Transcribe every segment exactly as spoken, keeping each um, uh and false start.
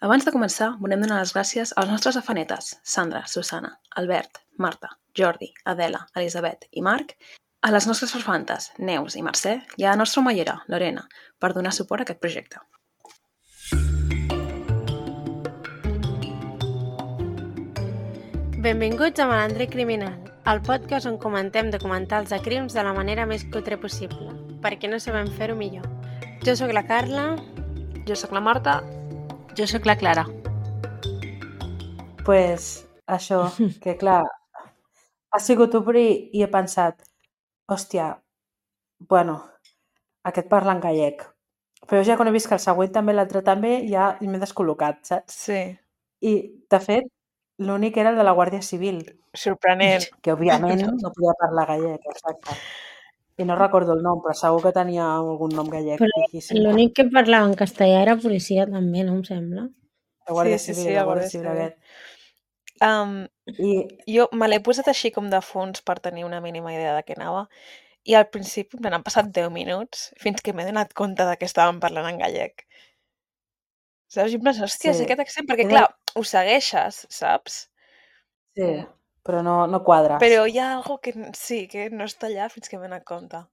Abans de començar, volem donar les gràcies als nostres afanetes, Sandra, Susana, Albert, Marta, Jordi, Adela, Elisabet i Marc, a les nostres farfantes, Neus i Mercè, i a la nostra omellera, Lorena, per donar suport a aquest projecte. Benvinguts a Malandre Criminal, el podcast on comentem documentals de crims de la manera més cutre possible, perquè no sabem fer-ho millor. Jo sóc la Carla. Jo sóc la Marta. Jo sóc la Clara. Pues això, que clar, ha sigut obrir i he pensat, hòstia, bueno, aquest parla en gallec. Però ja quan he vist que el següent també, l'altre també, ja m'he descol·locat, saps? Sí. I, de fet, l'únic era el de la Guàrdia Civil. Sorprenent. Que, òbviament, no podia parlar gallec, exacte. I no recordo el nom, però segur que tenia algun nom gallec. Però l'únic que parlava en castellà era policia també, no em sembla? La Guàrdia Sí, sí, Civil, sí, la la Guàrdia Guàrdia Civil Civil. aquest. Um, I, jo me l'he posat així com de fons per tenir una mínima idea de què anava i al principi me n'han passat deu minuts fins que m'he donat compte de que estàvem parlant en gallec. Saps? I em penso, hòstia, Sí. sí. aquest accent, perquè Era- clar, ho segueixes, saps? sí, però no, no quadres. Però hi ha algo que n- sí, que no està allà fins que m'he donat compte.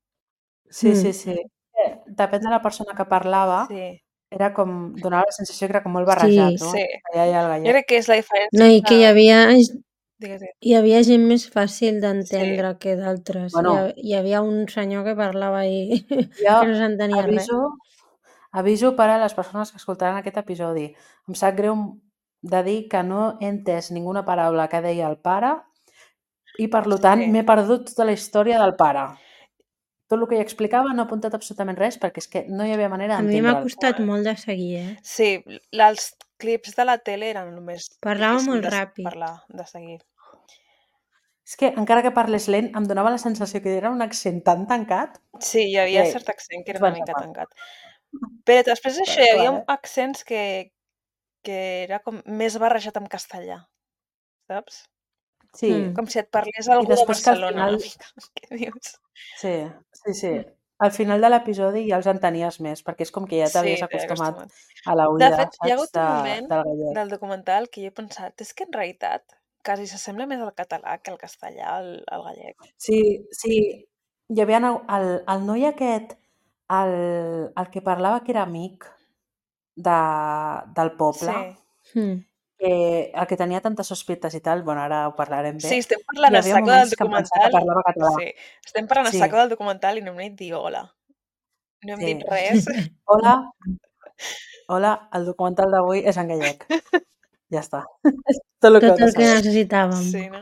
Sí, Mm. sí, sí. Eh, Depèn de la persona que parlava, Sí, era com, donava la sensació que era com molt barrejat, Sí, no? sí. Allà hi ha el Jo gallec. crec que és la diferència No, i que hi entre- havia, Digues, digues. hi havia gent més fàcil d'entendre que d'altres. Bueno. Hi, ha- hi havia un senyor que parlava i Jo que no s'entenia res. aviso, aviso per a les persones que escoltaran aquest episodi. Em sap greu de dir que no he entès ninguna paraula que deia el pare i, per tant, Sí. m'he perdut tota la història del pare. Tot el que ell explicava no he apuntat absolutament res perquè és que no hi havia manera A mi m'ha d'entendre'l. costat molt de seguir, eh? Sí, l- els clips de la tele eren només Parlava difícil molt de s- ràpid. parlar, de seguir. És que encara que parles lent em donava la sensació que era un accent tan tancat. Sí, hi havia Que cert accent que era ens una van mica tapar. tancat. Però després d'això Però, hi havia clar, eh? accents que, que era com més barrejat amb castellà, saps? Sí, Mm. Com si et parlés algú de després que al Barcelona, final- una mica. Què dius? sí, sí, sí. Al final de l'episodi ja els entenies més, perquè és com que ja t'havies Sí, t'he acostumat acostumat. a la De oïda, fet, hi ha saps, hagut un de, moment del gallec. del documental que jo he pensat, és que en realitat quasi s'assembla més al català que al castellà, al, al gallec. Sí, sí, hi havia el, el, el noi aquest, el, el que parlava que era amic de, del poble, Sí. Mm. que, el que tenia tantes sospites i tal, bueno, ara ho parlarem bé. Sí, estem parlant Hi a havia saco del moments que em pensava que documental. parlava català. Sí, estem parlant Sí. a saco del documental i no hem dit dir hola. No hem Sí. dit res. Hola, hola, el documental d'avui és en gallec. Ja està. És tot el que Tot heu de el que saber. necessitàvem. Sí, no?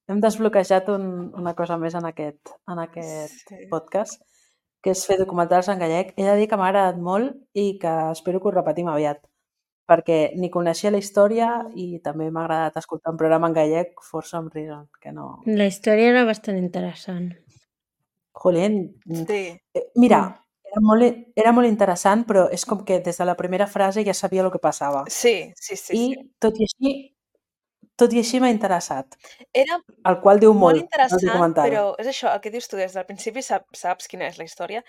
Hem desbloquejat un, una cosa més en aquest, en aquest Sí. podcast, que és fer documentals en gallec. He de dir que m'ha agradat molt i que espero que ho repetim aviat, perquè ni coneixia la història i també m'ha agradat escoltar un programa en gallec for some reason, que no... La història era bastant interessant. Jolín, Sí. eh, mira, era molt, era molt interessant, però és com que des de la primera frase ja sabia el que passava. Sí, sí, sí, I sí. tot i així, tot i així m'ha interessat, Era el qual diu molt molt del interessant, documental. però és això, el que dius tu, des del principi sap, saps quina és la història,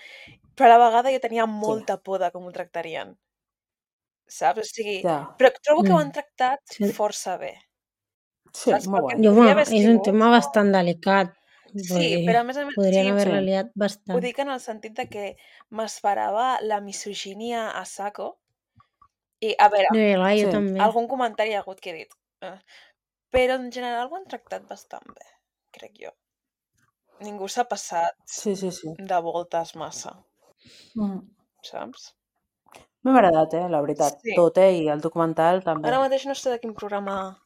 però a la vegada jo tenia molta por de com ho tractarien. Saps? O sigui, Ja. però trobo que ho han Mm. tractat Sí. força bé. Sí, Saps? molt Perquè guai. Jo, podria bueno, haver és un sigut... tema bastant delicat. Sí, perquè però a més a més... podrien Sí, haver-la sí. liat ho bastant. dic en el sentit de que m'esperava la misogínia a saco. I, a veure, No, i clar, jo Sí. també. algun comentari hi ha hagut que he dit. Eh. Però en general ho han tractat bastant bé, crec jo. Ningú s'ha passat Sí, sí, sí. de voltes massa, Mm. saps? M'ha agradat, eh, la veritat. Sí. Tot, eh, i el documental també. Ara mateix no sé de quin programa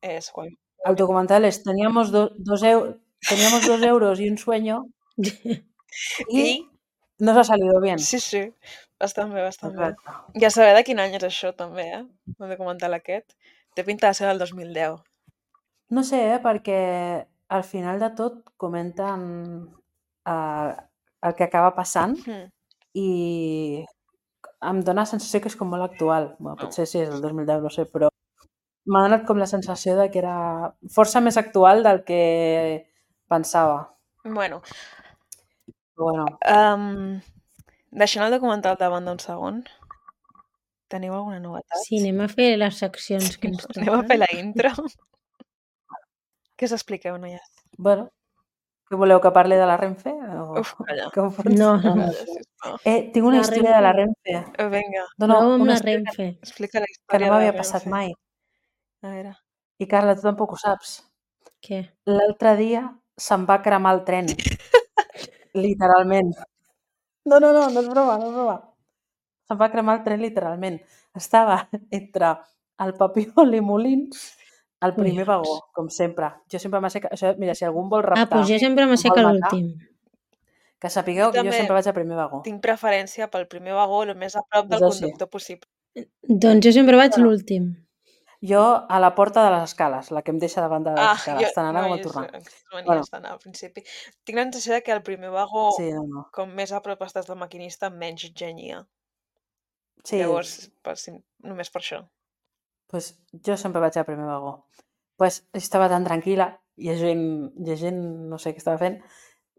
és. Quan... El documental és teníamos, do, dos, eu, teníamos dos euros y un sueño y, I... nos ha salido bien. Sí, sí, bastant bé, bastant bé. Exacte. Ja saber de quin any és això, també, eh? El documental aquest. Té pinta de ser del dos mil deu. No sé, eh, perquè al final de tot comenten eh, el que acaba passant Hmm. i em dóna la sensació que és com molt actual. Bueno, Oh. potser sí, és del dos mil deu, no sé, però m'ha donat com la sensació de que era força més actual del que pensava. Bueno, Però bueno, um, deixant el documental de banda un segon, Teniu alguna novetat? Sí, anem a fer les seccions que ens Anem a fer toquen. la intro. Què us expliqueu, noies? Bueno, què voleu que parli de la Renfe? O Uf, calla. com No, funciona? no. Calla, sisplau. Eh, tinc una La història de la Renfe. Renfe. Eh, Vinga, No, no, Prova amb una la història que, Renfe. explica la que no història de la m'havia passat Renfe. mai. A veure. I Carla, tu tampoc ho saps. Què? L'altre dia se'm va cremar el tren. Literalment. No, no, no, no és broma, no és broma. Se'm va cremar el tren literalment. Estava entre el Papiol i Molins, al primer Collons. vagó, com sempre. Jo sempre m'aixeca... Això, mira, si algú em vol Ah, raptar, doncs jo sempre em m'aixeco vol a matar, l'últim. que sapigueu Jo que jo també sempre vaig al primer vagó. tinc preferència pel primer vagó, el més a prop del És així. conductor possible. Doncs jo sempre vaig a Bueno. l'últim. Jo a la porta de les escales, la que em deixa davant de les Ah, escales, jo, tant anar no, com a jo tornar. aquestes manies Bueno, d'anar al principi. Tinc la sensació de que al primer vagó, sí, no, no. com més a prop estàs del maquinista, menys genia. Sí, Llavors, per, sim- només per això. pues, jo sempre vaig al primer vagó. Pues, estava tan tranquil·la, llegint, llegint, no sé què estava fent,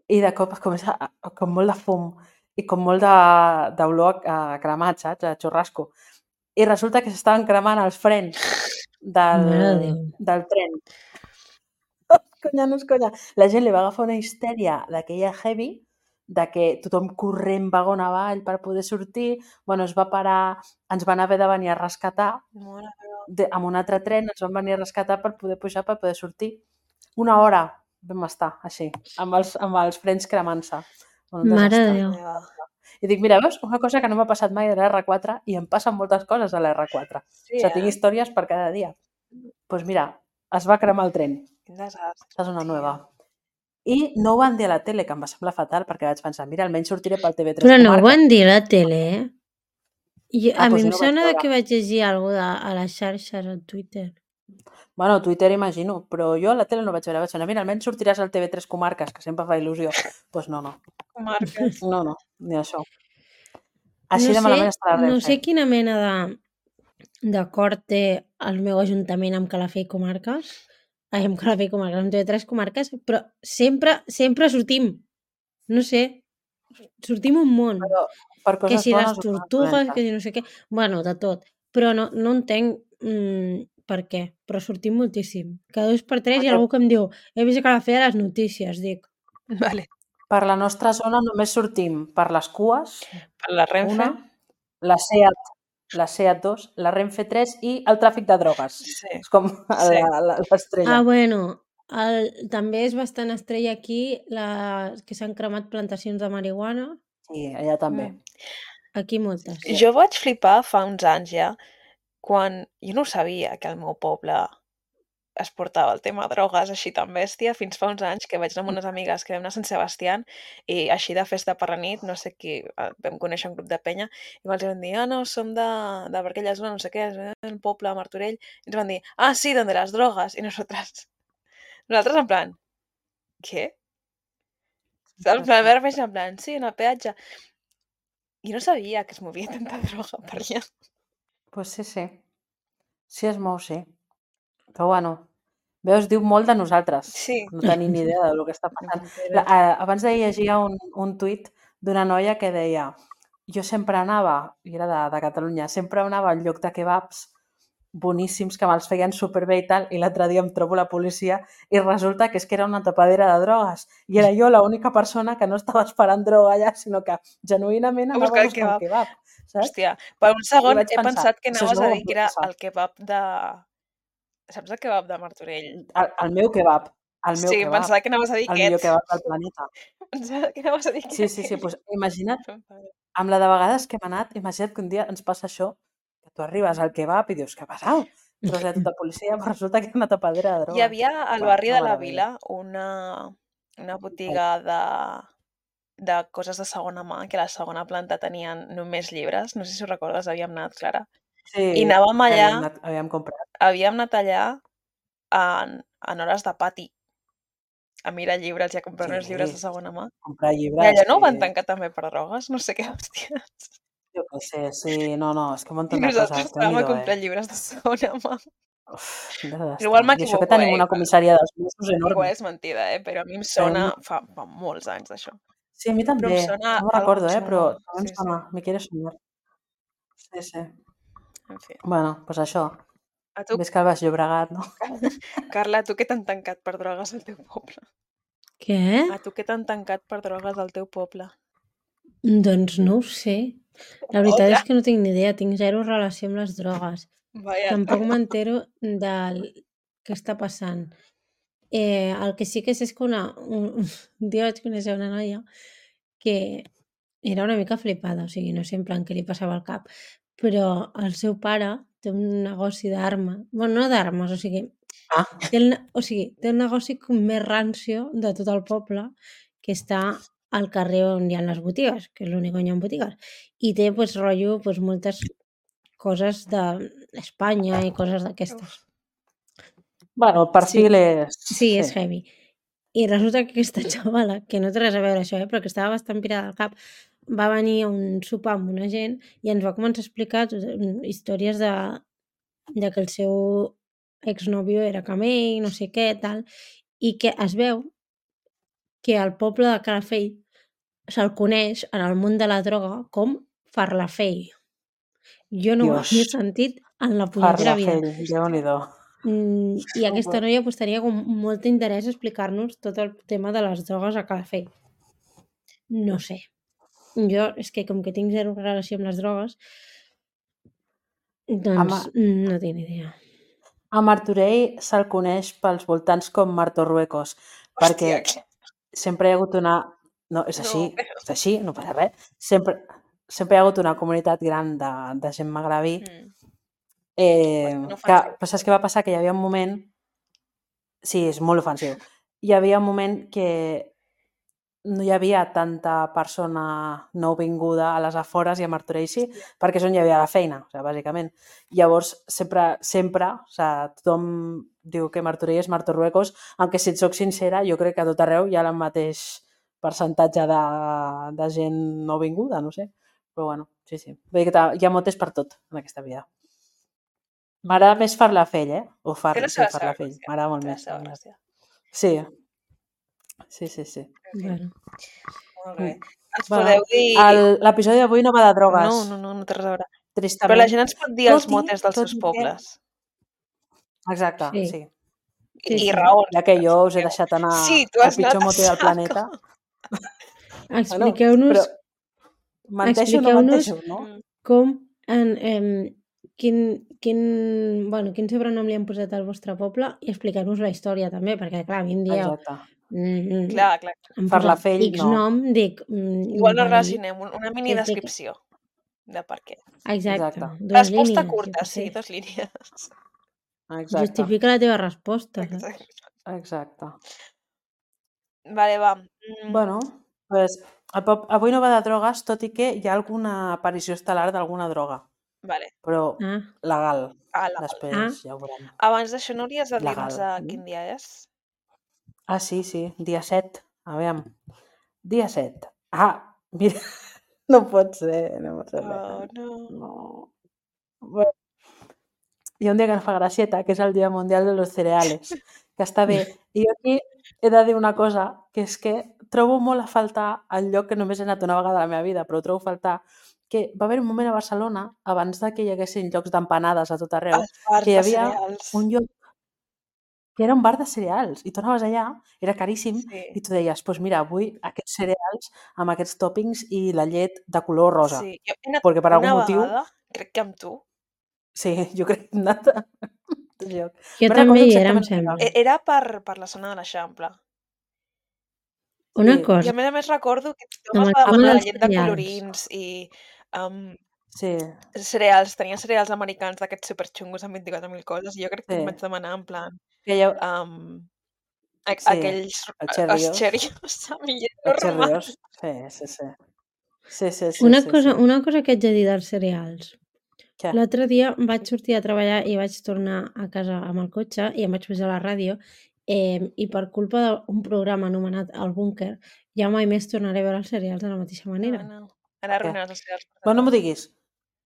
i de cop es comença a, a- com molt de fum i com molt de- d'olor a, a cremat, saps? A xurrasco. I resulta que s'estaven cremant els frens del, Mare de Déu. del tren. Conya, no és conya. La gent li va agafar una histèria d'aquella heavy, de que tothom corrent vagó avall per poder sortir. Bueno, es va parar, ens van haver de venir a rescatar, Mare meva. de, amb un altre tren ens van venir a rescatar per poder pujar, per poder sortir. Una hora vam estar així, amb els, amb els frens cremant-se. Bueno, un Mare de desastre. Déu. Meva. I dic, mira, veus? Una cosa que no m'ha passat mai a l'R quatre i em passen moltes coses a l'R quatre. Sí, O sigui, tinc eh? històries per cada dia. Doncs pues mira, es va cremar el tren. Quin desastre. Aquesta és una tia. nova. I no ho van dir a la tele, que em va semblar fatal, perquè vaig pensar, mira, almenys sortiré pel T V tres Però no ho Comarques. van dir a la tele, eh? I Ah, a mi doncs jo em no ho vaig sona de veure. que vaig llegir alguna cosa a les xarxes, a Twitter. Bueno, Twitter imagino, però jo a la tele no vaig veure. Vaig pensar, mira, almenys sortiràs al T V tres Comarques, que sempre fa il·lusió. Doncs pues no, no. Comarques. No, no, ni això. Així No de sé, malament està la no Renfe. sé quina mena de d'acord té el meu ajuntament amb Calafell i Comarques, ai, amb Calafell i Comarques, amb T V tres Comarques, però sempre, sempre sortim. No sé, sortim un món. Però per Que coses si les bones o coses tortugues, dolentes. que si no sé què... Bueno, de tot. Però no, no entenc mm, per què, però sortim moltíssim. Cada dos per tres hi ha Perquè algú que em diu he vist que Calafell a les notícies, dic. Vale. per la nostra zona només sortim per les cues, Per la Renfe. una, la SEAT, la SEAT dos, la Renfe tres i el tràfic de drogues. Sí. És com Sí. la- la- l'estrella. Ah, bueno, el, també és bastant estrella aquí la, que s'han cremat plantacions de marihuana. Sí, allà també. Mm. Aquí moltes. Jo vaig flipar fa uns anys ja, quan jo no sabia que al meu poble es portava el tema drogues així tan bèstia, fins fa uns anys que vaig anar amb unes amigues que vam anar a Sant Sebastián i així de festa per la nit, no sé qui, eh, vam conèixer un grup de penya i ens van dir, ah, no, som de, de per aquella zona, no sé què, és el poble de Martorell, i ens van dir, ah, sí, donde las drogas, i nosaltres, nosaltres en plan, què? Saps? En plan, veure en plan, sí, en el peatge. I no sabia que es movia tanta droga per allà. Pues sí, sí. Sí es mou, sí. Però bueno, veus, diu molt de nosaltres. Sí. No tenim ni idea del que està passant. La, eh, abans d'ahir llegia un, un tuit d'una noia que deia jo sempre anava, i era de, de Catalunya, sempre anava al lloc de kebabs boníssims que me'ls feien superbé i tal, i l'altre dia em trobo la policia i resulta que és que era una tapadera de drogues i era jo l'única persona que no estava esperant droga allà, sinó que genuïnament A anava buscar a el buscar un kebab. kebab, saps? Hòstia, per un segon vaig he pensar, pensat que això és anaves a nou, dir que era pot passar. el kebab de... Saps el kebab de Martorell? El, el meu kebab, el meu Sí, kebab, pensava que anaves a dir el millor aquest. kebab del planeta. Pensava que anaves a dir que Sí, era sí, sí, aquell. doncs imagina't, amb la de vegades que hem anat, imagina't que un dia ens passa això, que tu arribes al kebab i dius, què ha passat? Trobes allà tota policia, però resulta que era una tapadera de drogues. Hi havia al Bueno, barri una de la meravella. Vila una, una botiga de, de coses de segona mà, que a la segona planta tenien només llibres, no sé si ho recordes, havíem anat, Clara. Sí, I anàvem que allà, havíem, anat, havíem comprat. havíem anat allà en, en hores de pati, a mirar llibres i a comprar uns llibres de Sí, segona mà. comprar I llibres, allà no ho van sí. tancar també per drogues? No sé què, hòsties. Jo què sé, sí, no, no, és que un munt I de nosaltres coses, anàvem a Déu-n'hi-do, comprar eh? llibres de segona mà. Uf, quin desastre. Igual I això que m'equivoco, tenim eh? una Igual, comissaria dels Mossos enorme. igual és mentida, eh? Però a mi em Tenim sona una... fa, fa molts anys d'això. Sí, a mi Però també, em sona no me'n algo recordo, eh? Però xungo. també em Sí, sí. sona, me quiere sonar. Sí, sí. En fi. Bueno, doncs això. A tu, Ves que el Baix Llobregat, no? Carla, a tu què t'han tancat per drogues al teu poble? Què? A tu què t'han tancat per drogues al teu poble? Doncs no ho sé. La veritat Hola. és que no tinc ni idea, tinc zero relació amb les drogues. Vaya. Tampoc m'entero del que està passant. Eh, el que sí que sé és que una, un, un dia vaig conèixer una noia que era una mica flipada, o sigui, no sé en plan què li passava al cap, però el seu pare té un negoci d'armes, bueno, no d'armes, o sigui, Ah, té el, ne- o sigui, té el negoci com més rancio de tot el poble, que està al carrer on hi ha les botigues, que és l'únic on hi ha botigues, i té, pues, rotllo, pues, moltes coses d'Espanya i coses d'aquestes. bueno, el perfil és... Sí, és heavy. I resulta que aquesta xavala, que no té res a veure això, eh, però que estava bastant pirada al cap, va venir a un sopar amb una gent i ens va començar a explicar tot, mm, històries de, de que el seu exnòvio era camell, no sé què, tal, i que es veu que al poble de Calafell se'l coneix en el món de la droga com Farlafell. Jo no ho Dios, havia sentit en la punyetera vida. Farlafell, Déu-n'hi-do. Mm, I aquesta noia pues, tenia com molt interès a explicar-nos tot el tema de les drogues a Calafell. No sé. Jo, és que com que tinc zero relació amb les drogues, doncs Home. no tinc ni idea. A Martorell se'l coneix pels voltants com Martorruecos, perquè Hòstia, que... sempre hi ha hagut una... No, és així, No, però- és així, no passa res. Sempre, sempre hi ha hagut una comunitat gran de, de gent magrebí. Mm. Eh, No que, ofensiu. però saps què va passar? Que hi havia un moment... Sí, és molt ofensiu. Hi havia un moment que no hi havia tanta persona nouvinguda a les afores i a Martorell sí, perquè és on hi havia la feina, o sigui, bàsicament. Llavors, sempre, sempre, o sigui, tothom diu que Martorell és Martorruecos, aunque si et soc sincera, jo crec que a tot arreu hi ha el mateix percentatge de, de gent nouvinguda, no sé. Però bueno, sí, sí. Vull dir que hi ha motes per tot en aquesta vida. M'agrada més Farlafell, eh? O far... Té la sí, seva, seva Farlafell. gràcia. M'agrada molt Té la més. seva la veritat. gràcia. Sí. Sí, sí, sí. En fi, Bueno, molt bé. Mm. Ens Bueno, podeu dir... el- l'episodi d'avui no va de drogues. No, no, no, no té res a veure. Tristament. Però la gent ens pot dir els Tot i- motes dels tot seus i que- pobles. Exacte, Sí. sí. I, Sí, i sí. raons. Ja que jo us he deixat anar Sí, tu al has pitjor anat a mote del saco. planeta. expliqueu-nos Bueno, però menteixo o no expliqueu-nos menteixo, no? Mm. com en, em, quin, quin, bueno, quin sobrenom li han posat al vostre poble i expliqueu-nos la història també, perquè clar, a mi em dieu Exacte. mm, Clar, clar. em posat Farlafell, X no. nom, dic... Mm, Igual no vale, relacionem, un- una mini que- que- descripció de per què. Exacte, Exacte. dues Resposta línies, jo curta, què sí, sé. dos línies. Exacte. Justifica la teva resposta, saps? Exacte. Exacte. Vale, va. Mm, Bueno, pues, el pop... avui no va de drogues, tot i que hi ha alguna aparició estel·lar d'alguna droga, vale. però Ah, legal. Ah, la... Després Ah. ja ho veurem. Abans d'això no hauries de Legal. dir-nos a quin dia és? Ah, sí, sí, dia set. A veure, dia set. Ah, mira, no pot ser, no pot ser. Oh, no. No. Bueno, hi ha un dia que ens fa gracieta, que és el Dia Mundial de los Cereales, que està bé. I jo aquí he de dir una cosa, que és que trobo molt a faltar el lloc que només he anat una vegada a la meva vida, però trobo a faltar que va haver un moment a Barcelona, abans de que hi haguessin llocs d'empanades a tot arreu, Els bars que hi de havia cereals. un lloc que era un bar de cereals i tu anaves allà, era caríssim, Sí. i tu deies, doncs pues mira, avui aquests cereals amb aquests toppings i la llet de color rosa. Sí. Jo he anat Perquè per una algun motiu... vegada, crec que amb tu, Sí, jo crec que hem anat a aquest lloc. jo Me'n també recordo hi era, em exactament on sembla. era. e- era per, per la zona de l'Eixample. Una Sí. I cosa, a més a més recordo que tothom amb es el va tema demanar dels llet de cereals. colorins i um, Sí, cereals, tenia cereals americans d'aquests superxungos amb vint-i-quatre mil coses i jo crec que Sí. em vaig demanar en plan que hi ha... um, a, Sí, aquells els els Cheerios. Cheerios amb llet Els normal. Cheerios. Sí, sí, sí. Sí, sí, sí, Una sí, cosa, sí. una cosa que haig de dir dels cereals. Què? L'altre dia vaig sortir a treballar i vaig tornar a casa amb el cotxe i em vaig posar a la ràdio eh, i per culpa d'un programa anomenat El Búnquer ja mai més tornaré a veure els cereals de la mateixa manera. No, no. Ara arruïnaràs els cereals. per Bueno, no m'ho tothom. diguis,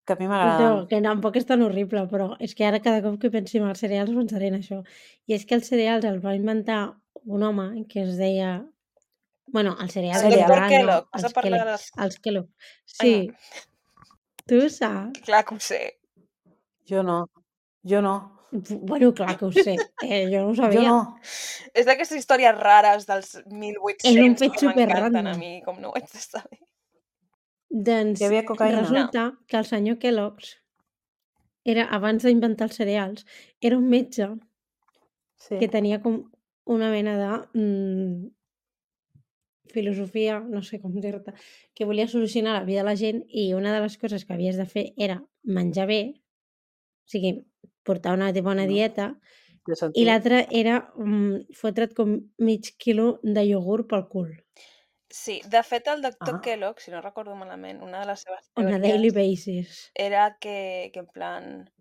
que a mi No, m'agraden. que tampoc és tan horrible, però és que ara cada cop que pensi en els cereals pensaré en això. I és que els cereals els va inventar un home que es deia... Bueno, els cereals El en Cereal. doctor general, no, Kellogg, vas a els parlar Kellogg. dels... Els Kellogg. Ai, Sí, tu saps? clar que ho sé. Jo no. Jo no. Bueno, clar que ho sé. Eh, jo no ho Jo sabia. no. És d'aquestes històries rares dels mil És un vuit-cents fet que m'encanten a superrandom. mi, com no ho haig de saber. Doncs Hi havia cocaïna? resulta que el senyor Kellogg's era, abans d'inventar els cereals, era un metge Sí. que tenia com una mena de mm, filosofia, no sé com dir-te, que volia solucionar la vida de la gent i una de les coses que havies de fer era menjar bé, o sigui, portar una bona No. dieta, Té i sentit. l'altre era mm, fotre't com mig quilo de iogurt pel cul. Sí, de fet, el doctor Ah. Kellogg, si no recordo malament, una de les seves On a daily teories basis. era que, que en plan...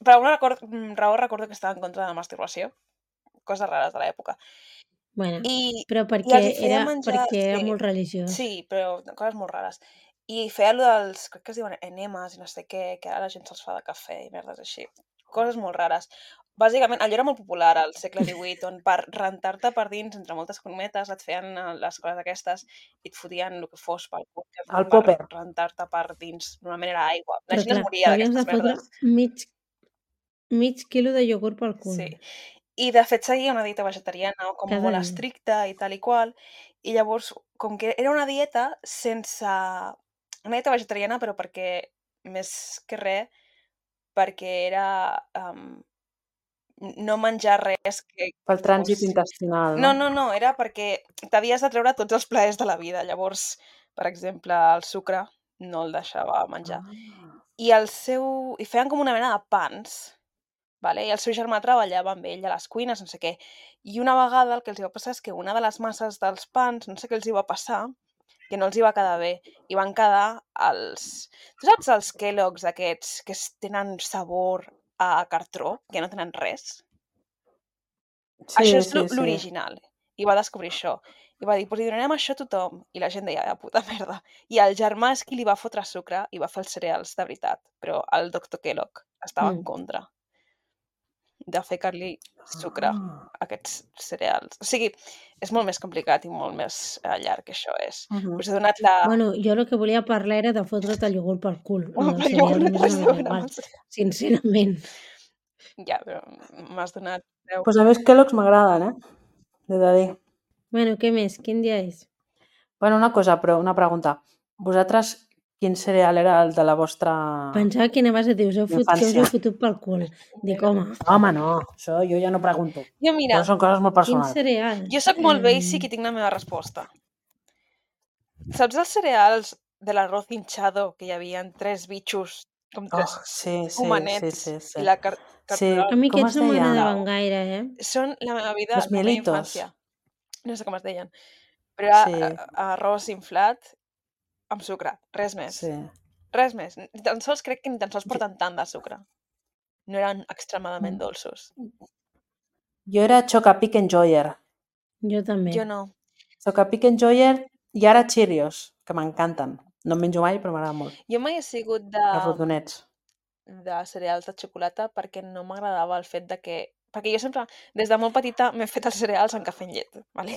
Per alguna record, mm, raó recordo que estava en contra de la masturbació. Coses rares de l'època. Bueno, I, però I perquè els hi feia era, menjar... perquè era Sí, molt religiós. sí, però coses molt rares. I feia allò dels, crec que es diuen enemes i no sé què, que ara la gent se'ls fa de cafè i merdes així. Coses molt rares. Bàsicament, allò era molt popular al segle divuit, on per rentar-te per dins, entre moltes cometes, et feien eh, les coses aquestes i et fotien el que fos pel cul, que El per popper. rentar-te per dins. Normalment era aigua. La Però gent es clar, moria t'havies de d'aquestes fotre merdes. mig, mig quilo de iogurt pel cul. Sí. I de fet seguia una dieta vegetariana o com Cada molt dia. estricta i tal i qual. I llavors, com que era una dieta sense... Una dieta vegetariana, però perquè, més que res, perquè era um, no menjar res que Pel trànsit fos... intestinal, No, no? no, no, era perquè t'havies de treure tots els plaers de la vida. Llavors, per exemple, el sucre no el deixava menjar. Ah. I el seu... I feien com una mena de pans, vale? I el seu germà treballava amb ell a les cuines, no sé què. I una vegada el que els hi va passar és que una de les masses dels pans, no sé què els hi va passar, que no els hi va quedar bé. I van quedar els... Tu saps els Kellogg's aquests que es- tenen sabor a cartró, que no tenen res? Sí, Això és sí, l'o- sí. l'original. I va descobrir això. I va dir, pues li donarem això a tothom. I la gent deia, ah, puta merda. I el germà és qui li va fotre sucre i va fer els cereals de veritat. Però el doctor Kellogg estava en Mm. contra de ficar-li sucre a Ah. aquests cereals. O sigui, és molt més complicat i molt més eh, llarg que això és. Mhm. Us he donat la... Bueno, jo el que volia parlar era de fotre't el iogurt pel cul. Lo Bueno, dels però jo cereals no m'és té res una a mica veure amb igual, els cereals. sincerament. Ja, però m'has donat... deu. Pues a mi els Kellogg's m'agraden, eh? He de dir. Bueno, què més? Quin dia és? Bueno, una cosa, però una pregunta. Vosaltres, quin cereal era el de la vostra Pensava que anaves a dir, us heu fot, que us infància? heu fotut pel cul. Dic, home, Home, no, això jo ja no pregunto. Jo, mira, Això són coses molt quin personals. cereal? jo sóc molt Em, basic i tinc la meva resposta. Saps els cereals de l'arroz hinchado que hi havia tres bitxos, com Oh, tres sí, sí, homenets, sí, sí, sí. i la car Sí, cartulina A mi com aquests es no deien? m'agradaven gaire, eh? són la meva vida, Los la meva mielitos. infància. No sé com es deien. Però era Sí, eh, arròs inflat amb sucre, res més. sí. Res més. Ni tan sols crec que ni tan sols Jo, porten tant de sucre. No eren extremadament dolços. jo era Chocapic Enjoyer. Jo també. Jo no. Chocapic Enjoyer i ara Cheerios, que m'encanten. No en menjo mai, però m'agrada molt. Jo mai he sigut de, Els rodonets. de cereals de xocolata perquè no m'agradava el fet de que... Perquè jo sempre, des de molt petita, m'he fet els cereals amb cafè amb llet, ¿vale?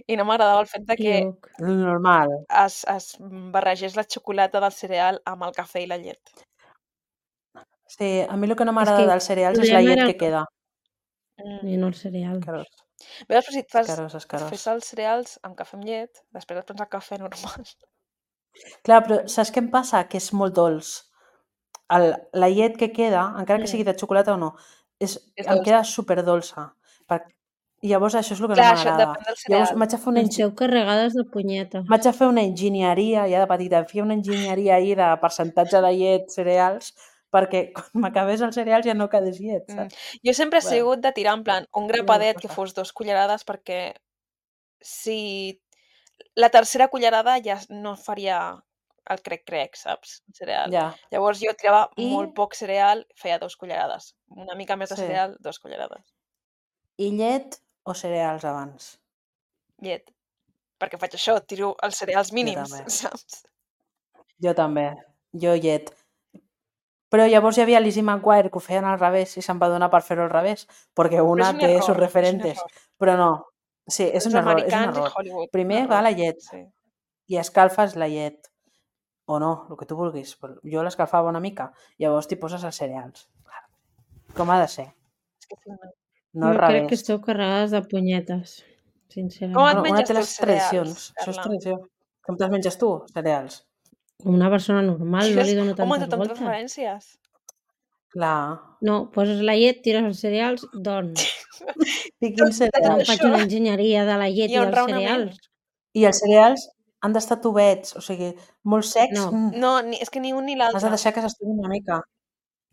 I no m'agradava el fet de que Iuc. Normal. es, es barregés la xocolata del cereal amb el cafè i la llet. Sí, a mi el que no És m'agrada que dels el cereals és la problema llet era que el cafè queda. Mm. i no els cereals. Escarós, Veus, però si et fas, escarós, et escarós. fes els cereals amb cafè amb llet, després et prens el cafè normal. Clar, però saps què em passa? Que és molt dolç. El, la llet que queda, encara que Mm. sigui de xocolata o no, és, És em dolç. queda superdolça. Per... I llavors això és el que Clar, no això m'agrada. depèn del Llavors cereal. m'haig de fer una, engi... Esteu carregades de punyetes. m'haig de fer una enginyeria, ja de petita, feia una enginyeria ahir de percentatge de llet, cereals, perquè quan m'acabés els cereals ja no quedés llet, Mm. saps? Jo sempre he Bueno, sigut de tirar en plan un ja grapadet no que passa. fos dos cullerades perquè si la tercera cullerada ja no faria el crec-crec, saps? El cereal. Ja. Llavors jo tirava I, molt poc cereal, feia dos cullerades. Una mica més de sí. cereal, dos cullerades. I llet o cereals abans? Llet. Perquè faig això, tiro els cereals Jo mínims, també. saps? Jo també. Jo llet. Però llavors hi havia Lizzie McGuire que ho feien al revés i se'n va donar per fer-ho al revés, perquè Però una és un té error, sus és un referentes. error. Però no. Sí, és Els un error, és un americans i error. Hollywood, un Primer va error. la llet Sí. i escalfes la llet. o no, el que tu vulguis. Però jo l'escalfava una mica, llavors t'hi poses els cereals. Com ha de ser? És que si no... No al Jo crec que revés. esteu carregades de punyetes, Com sincerament. et Bueno, una menges té tu les els cereals, tradicions. Això és Carla? tradició. Com te'ls menges tu, cereals? Com una persona normal, no li dono Home, tantes tothom té voltes. preferències. Clar. No, poses la llet, tires els cereals, dorms. I quins Tot Que no cereals? faig això una enginyeria de la llet hi i ha un dels raonament. cereals. I els cereals han d'estar tubets, o sigui, molt secs. No. Mm. No, ni, és que ni un ni Has de l'altre. deixar que s'estuvi una mica.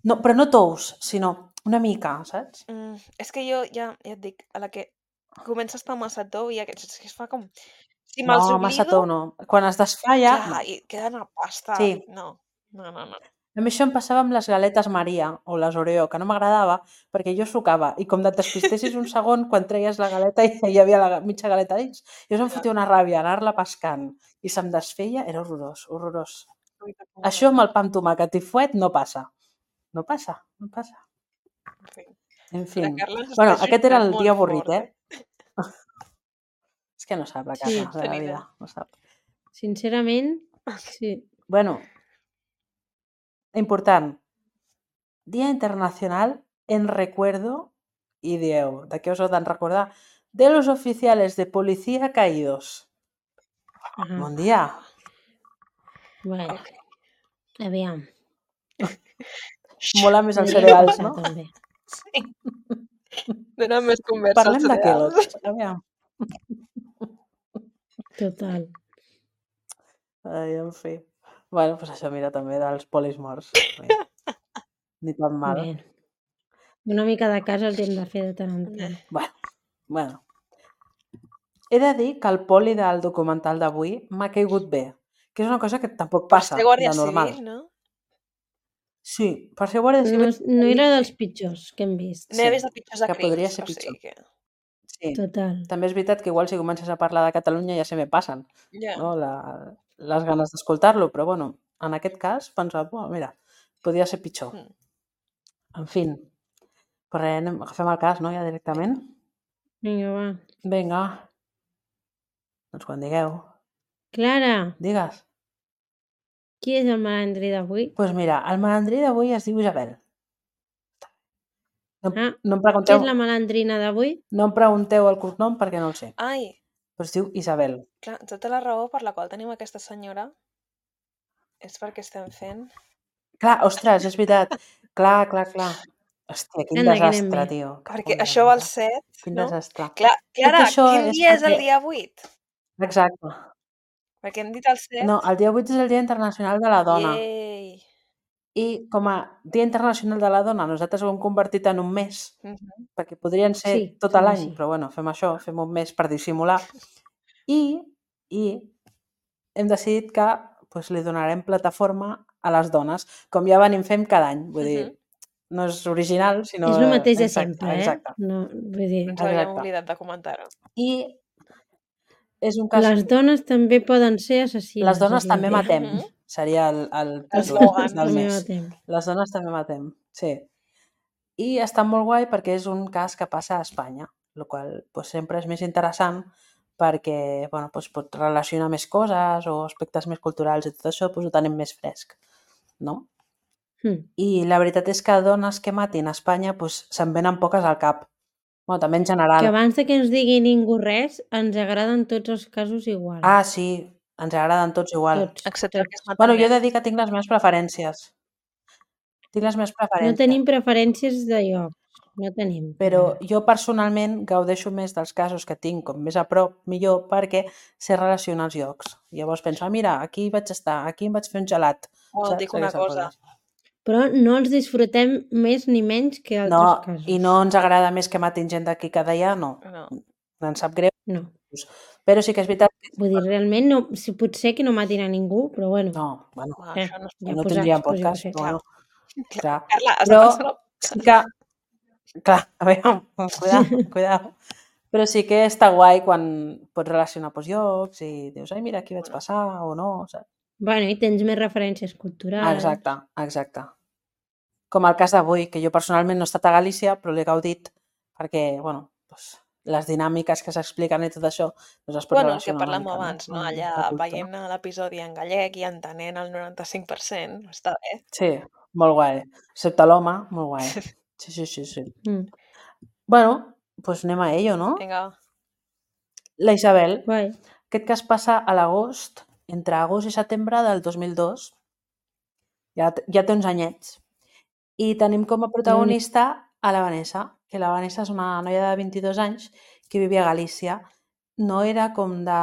No, però no tous, sinó una mica, saps? Mm, és que jo ja, ja et dic, a la que comença a estar massa tou i aquests, és que es fa com... Si No, me'ls massa oblido, tou no. Quan es desfà ja, clar, no. i queden a pasta. Sí. No, no, no, no. A mi això em passava amb les galetes Maria o les Oreo, que no m'agradava perquè jo sucava i com et despistessis un segon quan treies la galeta i hi havia la mitja galeta dins, jo em fotia una ràbia anar-la pescant i se'm desfeia, era horrorós, horrorós. Això amb el pa amb tomàquet i fuet no passa. No passa, no passa. En fi. En fi. La Carla ens Bueno, està aquest era el jutjant dia molt avorrit, fort, eh? És que no sap la Sí, Carla de la tenir vida, idea. no sap. Sincerament, sí. Bueno, important. Dia Internacional en recuerdo, i dieu, de què us heu de recordar? De los oficiales de policía caídos. Ajá. Bon dia. Bueno, Ok. aviam. Mola més els Podríem cereals, passar, no? també. Sí. Dóna més conversa als Parlem de cereals. Kellogg's. Aviam. Total. Ai, en fi. Bueno, doncs això, mira, també dels polis morts. Mira. Ni tan mal. Bé. Una mica de casa el hem de fer de tant en tant. Bueno, bueno. He de dir que el poli del documental d'avui m'ha caigut bé, que és una cosa que tampoc Per passa ser guàrdia de normal. civil, no? Sí, per ser guàrdia No, civil no era dels pitjors que hem vist. N'he Sí, vist de pitjors de que podria crims, ser o pitjor. sigui que... sí. Total. També és veritat que igual si comences a parlar de Catalunya ja se me passen, Ja. no? La, les ganes d'escoltar-lo, però bueno, en aquest cas pensava, oh, mira, podria ser pitjor. Mm. En fi, però res, anem, agafem el cas, no, ja directament? Vinga, va. Vinga, doncs quan digueu. Clara, Digues. qui és el malandrí d'avui? Doncs pues mira, el malandrí d'avui es diu Isabel. No, Ah, no, em Qui pregunteu, és la malandrina d'avui? no em pregunteu el cognom perquè no el sé, Ai, però es diu Isabel. clar, tota la raó per la qual tenim aquesta senyora és perquè estem fent... Clar, ostres, és veritat. Clar, clar, clar. Hòstia, quin Anda, que anem desastre, bé. tio. Perquè Cago en això la va al mare. set, Quin no? desastre. Cla Clara, això quin és dia és el perquè- dia vuit? Exacte. Perquè hem dit el set. No, el dia vuit és el Dia Internacional de la Dona. Yay. I com a Dia Internacional de la Dona nosaltres ho hem convertit en un mes, Mhm. perquè podrien ser Sí, tot fem l'any, així. però bueno, fem això, fem un mes per dissimular. I, i hem decidit que pues, li donarem plataforma a les dones, com ja venim fent cada any. Vull dir, Mhm. no és original, sinó... És el mateix de exacte, sempre, eh? Exacte. No, vull dir, Ens havíem Exacte. oblidat de comentar-ho. I és un cas... les dones també poden ser assassines. Les dones és la també idea. matem, Mhm. seria el, el títol Eslògan. del També mes. matem. Les dones també matem, sí. I està molt guai perquè és un cas que passa a Espanya, el qual pues, sempre és més interessant perquè bueno, pues, pot relacionar més coses o aspectes més culturals i tot això pues, ho tenim més fresc, no? Hm. I la veritat és que dones que matin a Espanya pues, se'n venen poques al cap. Bueno, també en general. Que abans de que ens digui ningú res, ens agraden tots els casos igual. Ah, sí, ens agraden tots igual. tots. Excepte el que es tots. mata Bueno, jo he més. de dir que tinc les meves preferències. Tinc les meves No preferències. tenim preferències de lloc. No tenim. Però jo personalment gaudeixo més dels casos que tinc com més a prop, millor, perquè sé relacionar els llocs. Llavors penso, ah, mira, aquí vaig estar, aquí em vaig fer un gelat. Oh, et dic una Aquestes cosa. coses. Però no els disfrutem més ni menys que altres No, casos. i no ens agrada més que matin gent d'aquí cada dia, no. No. Ens sap greu. No. Però sí que és veritat que... Vull dir, realment, no, si potser que no matin a ningú, però bueno. No, bueno, Va, Eh, això no es ja no posats, tindríem pues jo què podcast, sé. però bueno, clar. Carla, has Però de pensar... sí que... Clar, a veure, cuidao, cuidao. Però sí que està guai quan pots relacionar pues, llocs i dius, ai, mira, aquí vaig passar o no, saps? Bueno, i tens més referències culturals. Exacte, exacte. Com el cas d'avui, que jo personalment no he estat a Galícia, però l'he gaudit perquè, bueno, doncs, les dinàmiques que s'expliquen i tot això, doncs es pot Bueno, el que relacionar una parlàvem mica, no? abans, no? Amb Allà la cultura. veient l'episodi en gallec i entenent el noranta-cinc per cent, està bé. Sí, molt guai. Excepte l'home, molt guai. Sí, sí, sí, sí. Mm. Bueno, doncs anem a ello, no? Vinga, La Isabel. Guai. Aquest cas passa a l'agost, entre agost i setembre del dos mil dos. Ja, t- ja té uns anyets. I tenim com a protagonista a la Vanessa, que la Vanessa és una noia de vint-i-dos anys que vivia a Galícia. No era com de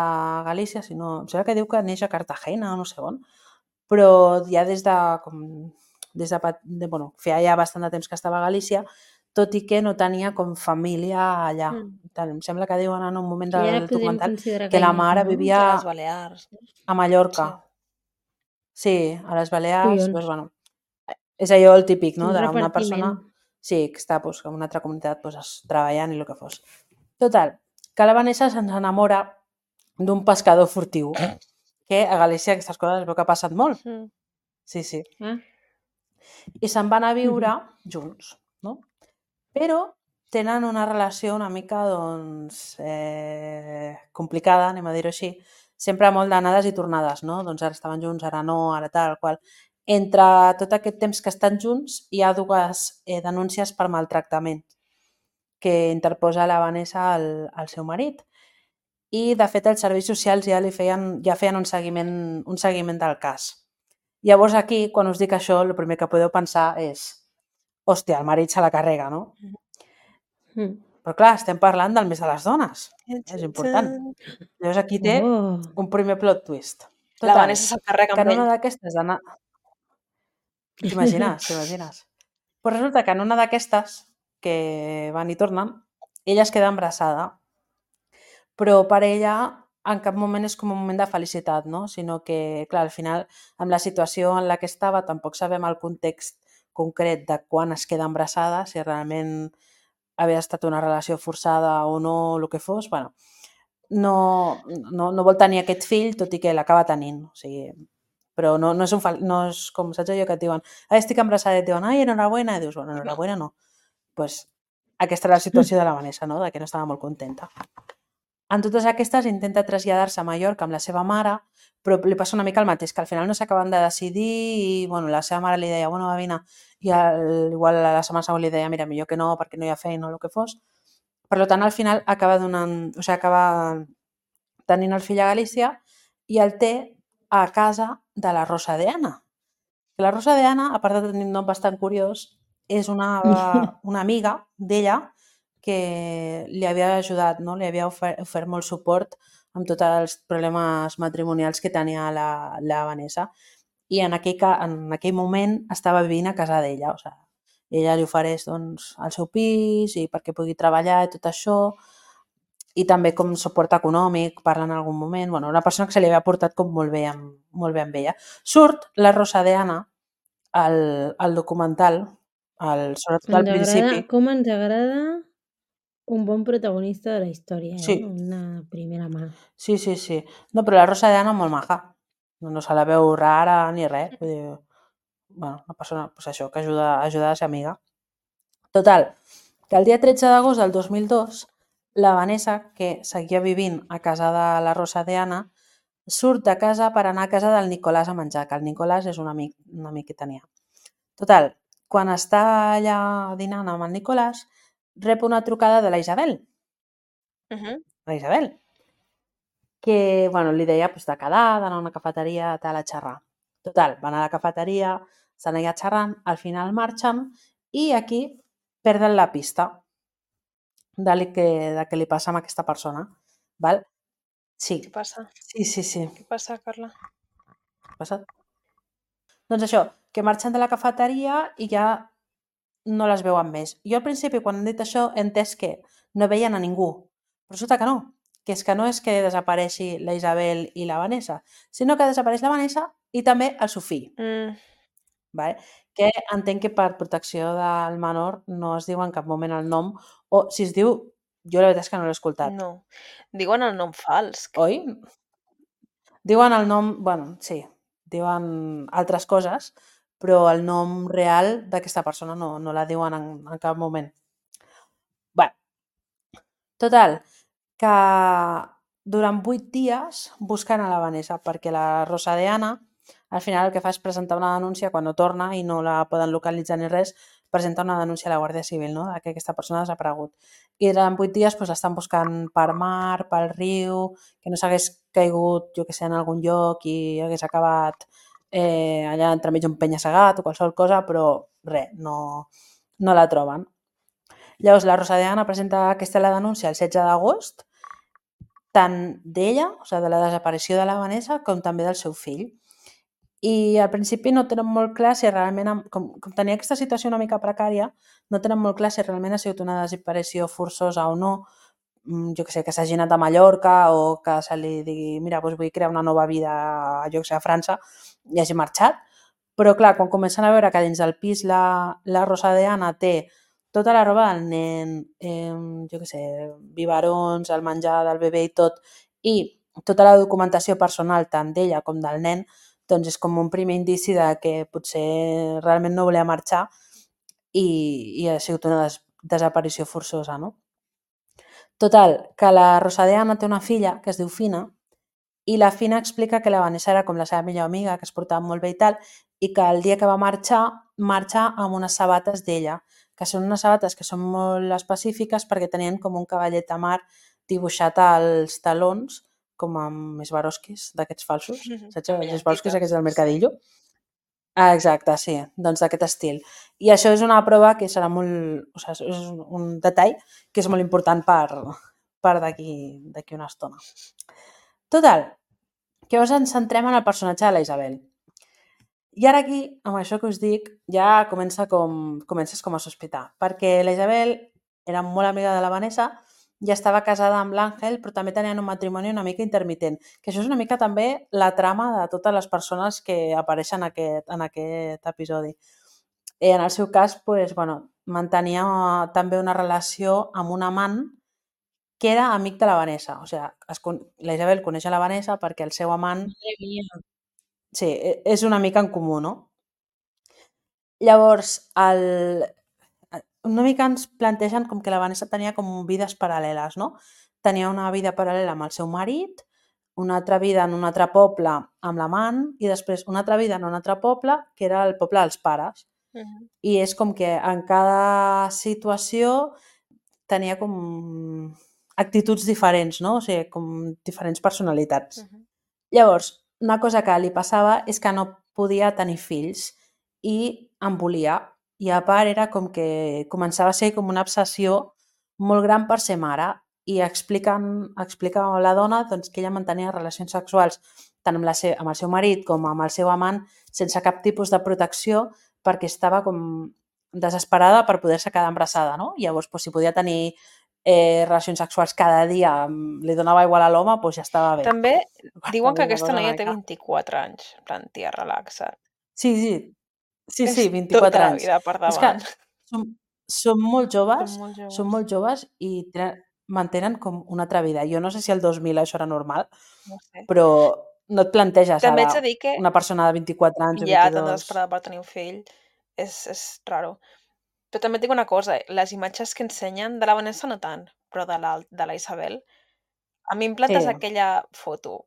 Galícia, sinó... Em sembla que diu que neix a Cartagena o no sé on, però ja des de... Com, des de, pat- de bueno, feia ja bastant de temps que estava a Galícia, tot i que no tenia com família allà. Mm. Tant, em sembla que diuen en un moment Que ja la del podem documental considerar que la gallec, mare no? vivia a les Balears. a Mallorca. Sí. Sí, a les Balears, Collons. doncs, bueno, és allò el típic, no? Un D'una persona repartiment. sí, que està doncs, en una altra comunitat doncs, treballant i el que fos. Total, que la Vanessa se'ns enamora d'un pescador furtiu, que a Galícia aquestes coses es veu que ha passat molt. Mm. Sí, sí. Ah. I se'n van a viure junts, no? Però tenen una relació una mica, doncs, eh, complicada, anem a dir-ho així, sempre molt d'anades i tornades, no? Doncs ara estaven junts, ara no, ara tal, qual. Entre tot aquest temps que estan junts hi ha dues eh, denúncies per maltractament que interposa la Vanessa al, al seu marit. I, de fet, els serveis socials ja li feien, ja feien un seguiment, un seguiment del cas. Llavors aquí, quan us dic això, el primer que podeu pensar és hòstia, el marit se la carrega, no? Mm. Però clar, estem parlant del mes de les dones. És important. Llavors aquí té Oh. un primer plot twist. La Total, Vanessa se'l carrega que amb en una ell. d'aquestes... Anar... T'imagines, t'imagines. Però resulta que en una d'aquestes, que van i tornen, ella es queda embarassada. Però per ella en cap moment és com un moment de felicitat, no? Sinó que, clar, al final, amb la situació en la que estava, tampoc sabem el context concret de quan es queda embarassada, si realment havia estat una relació forçada o no, el que fos, bueno, no, no, no vol tenir aquest fill, tot i que l'acaba tenint. O sigui, però no, no, és un fal... no és com, saps allò que et diuen ai, estic embarassada, i et diuen ai, enhorabuena, i dius, bueno, enhorabuena no. Pues aquesta era la situació de la Vanessa, no? De que no estava molt contenta. En totes aquestes intenta traslladar-se a Mallorca amb la seva mare, però li passa una mica el mateix, que al final no s'acaben de decidir i bueno, la seva mare li deia, bueno, va, vine, i el, igual la setmana següent li deia, mira, millor que no, perquè no hi ha feina o el que fos. Per tant, al final acaba donant, o sigui, acaba tenint el fill a Galícia i el té a casa de la Rosa de Ana. La Rosa de Ana, a part de tenir un nom bastant curiós, és una, una amiga d'ella que li havia ajudat, no? Li havia ofert, ofert molt suport amb tots els problemes matrimonials que tenia la, la Vanessa. I en aquell, en aquell moment estava vivint a casa d'ella. O sigui, ella li ofereix doncs, el seu pis i perquè pugui treballar i tot això. I també com suport econòmic, parla en algun moment. Bueno, una persona que se li havia portat com molt bé amb, molt bé amb ella. Surt la Rosa de Ana al, al documental, al, sobretot al principi. Com ens agrada un bon protagonista de la història, eh? Sí. Una primera mà. Sí, sí, sí. No, però la Rosa de Ana molt maja. No, no se la veu rara ni res. Vull dir, bueno, una persona pues això, que ajuda, ajuda a ser amiga. Total, que el dia tretze d'agost del dos mil dos, la Vanessa, que seguia vivint a casa de la Rosa de Ana, surt de casa per anar a casa del Nicolàs a menjar, que el Nicolàs és un amic, un amic que tenia. Total, quan està allà dinant amb el Nicolàs, rep una trucada de la Isabel. Uh -huh. La Isabel. Que, bueno, li deia pues, de quedar, d'anar a una cafeteria, tal, a xerrar. Total, van a la cafeteria, estan allà xerrant, al final marxen i aquí perden la pista de que, de que li passa amb aquesta persona. Val? Sí. Què passa? Sí, sí, sí. Què passa, Carla? Què passa? Doncs això, que marxen de la cafeteria i ja no les veuen més. Jo al principi, quan han dit això, he entès que no veien a ningú. Però resulta que no. Que és que no és que desapareixi la Isabel i la Vanessa, sinó que desapareix la Vanessa i també el Sofí. Mm. Vale? Que entenc que per protecció del menor no es diu en cap moment el nom, o si es diu, jo la veritat és que no l'he escoltat. No. Diuen el nom fals. Oi? Diuen el nom, bueno, sí, diuen altres coses, però el nom real d'aquesta persona no, no la diuen en, en cap moment. Bé, Total, que durant vuit dies busquen a la Vanessa perquè la Rosa de Ana al final el que fa és presentar una denúncia quan no torna i no la poden localitzar ni res, presenta una denúncia a la Guàrdia Civil, no?, de que aquesta persona ha desaparegut. I durant vuit dies doncs, l'estan buscant per mar, pel riu, que no s'hagués caigut, jo que sé, en algun lloc i hagués acabat eh, allà entremig un penya-segat o qualsevol cosa, però res, no, no la troben. Llavors, la Rosa de Ana presenta aquesta la denúncia el setze d'agost, tant d'ella, o sigui, de la desaparició de la Vanessa, com també del seu fill. I al principi no tenen molt clar si realment, com, com tenia aquesta situació una mica precària, no tenen molt clar si realment ha sigut una desaparició forçosa o no, jo que sé, que s'hagi anat a Mallorca o que se li digui, mira, doncs vull crear una nova vida, jo que sé, a França, i hagi marxat. Però clar, quan comencen a veure que dins del pis la, la Rosa de Ana té tota la roba del nen, eh, jo que sé, biberons, el menjar del bebè i tot, i tota la documentació personal tant d'ella com del nen, doncs és com un primer indici de que potser realment no volia marxar i, i ha sigut una des desaparició forçosa, no? Total, que la Rosa de Ana té una filla que es diu Fina i la Fina explica que la Vanessa era com la seva millor amiga, que es portava molt bé i tal, i que el dia que va marxar, marxa amb unes sabates d'ella, que són unes sabates que són molt específiques perquè tenien com un cavallet de mar dibuixat als talons, com amb Swarovskis, d'aquests falsos, saps? Els Swarovskis aquests del Mercadillo. Ah, exacte, sí, doncs d'aquest estil. I això és una prova que serà molt... O sigui, és un detall que és molt important per, per d'aquí una estona. Total, que llavors ens centrem en el personatge de la Isabel. I ara aquí, amb això que us dic, ja comença com, comences com a sospitar, perquè la Isabel era molt amiga de la Vanessa i estava casada amb l'Àngel, però també tenien un matrimoni una mica intermitent, que això és una mica també la trama de totes les persones que apareixen en aquest, en aquest episodi. I en el seu cas, pues, bueno, mantenia també una relació amb un amant que era amic de la Vanessa. O sigui, es, la Isabel coneix a la Vanessa perquè el seu amant... Sí, és una mica en comú, no? Llavors, el... una mica ens plantegen com que la Vanessa tenia com vides paral·leles, no? Tenia una vida paral·lela amb el seu marit, una altra vida en un altre poble amb l'amant i després una altra vida en un altre poble que era el poble dels pares. Uh -huh. I és com que en cada situació tenia com actituds diferents, no? O sigui, com diferents personalitats. Uh -huh. Llavors, una cosa que li passava és que no podia tenir fills i en volia. I a part era com que començava a ser com una obsessió molt gran per ser mare i expliquen, explica a la dona doncs, que ella mantenia relacions sexuals tant amb, la se amb el seu marit com amb el seu amant sense cap tipus de protecció perquè estava com desesperada per poder-se quedar embarassada, no? I llavors, doncs, si podia tenir eh, relacions sexuals cada dia, li donava igual a l'home, doncs ja estava bé. També diuen que aquesta noia té vint-i-quatre anys, en plan, tia, relaxa't. Sí, sí, sí, sí, vint-i-quatre tota anys. la vida per davant. És que són, són molt joves, Són molt joves, són molt joves i tenen, mantenen com una altra vida. Jo no sé si el dos mil això era normal, no sé. però no et planteges També ara haig de dir que una persona de vint-i-quatre anys o ja vint-i-dos. tan desesperada per tenir un fill és, és raro. Però també et dic una cosa, les imatges que ensenyen de la Vanessa no tant, però de la, de la Isabel, a mi em plantes Sí. aquella foto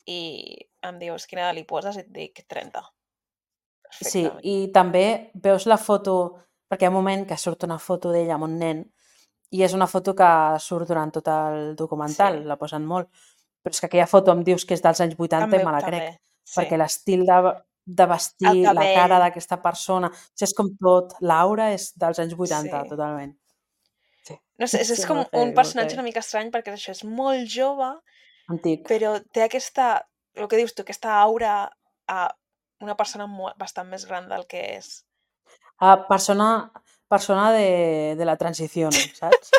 i em dius quina edat li poses i et dic trenta. Sí, i també veus la foto, perquè hi ha un moment que surt una foto d'ella amb un nen i és una foto que surt durant tot el documental, Sí. la posen molt, però és que aquella foto em dius que és dels anys vuitanta També, i me la també, crec, sí. perquè l'estil de, de vestir, El la cara cabell. d'aquesta persona, o sigui, és com tot, l'aura és dels anys vuitanta, Sí. totalment. Sí. No sé, és, és Sí, com molt heavy, un molt personatge heavy. una mica estrany perquè això és molt jove, Antic. però té aquesta, el que dius tu, aquesta aura a una persona molt, bastant més gran del que és. Ah, persona, persona de, de la transició, saps?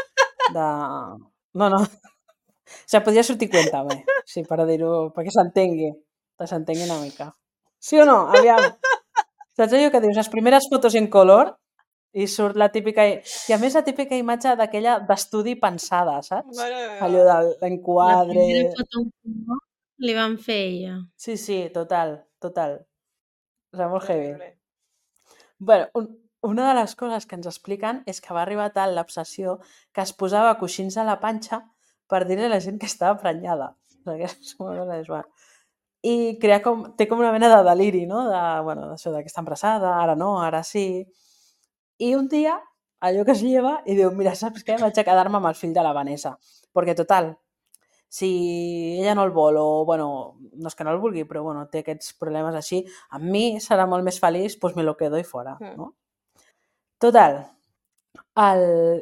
De... No, no. O sigui, podria sortir Cuéntame, sí, per dir-ho, perquè s'entengui, que s'entengui una mica. Sí o no? Aviam. Saps allò que dius, les primeres fotos en color i surt la típica... I a més la típica imatge d'aquella d'estudi pensada, saps? Allò de l'enquadre... La primera foto en color li van fer ella. Sí, sí, total, total. O sigui, molt heavy. Terrible. Bueno, un, una de les coses que ens expliquen és que va arribar tal l'obsessió que es posava coixins a la panxa per dir-li a la gent que estava prenyada. O sigui, és una cosa és, bueno. I crea com, té com una mena de deliri, no? De, bueno, d'això, de que està embarassada, ara no, ara sí. I un dia, allò que es lleva i diu, mira, saps què? Vaig a quedar-me amb el fill de la Vanessa. Perquè, total, si ella no el vol o, bueno, no és que no el vulgui, però, bueno, té aquests problemes així, amb mi serà molt més feliç, doncs me lo quedo i fora, no? Total, el...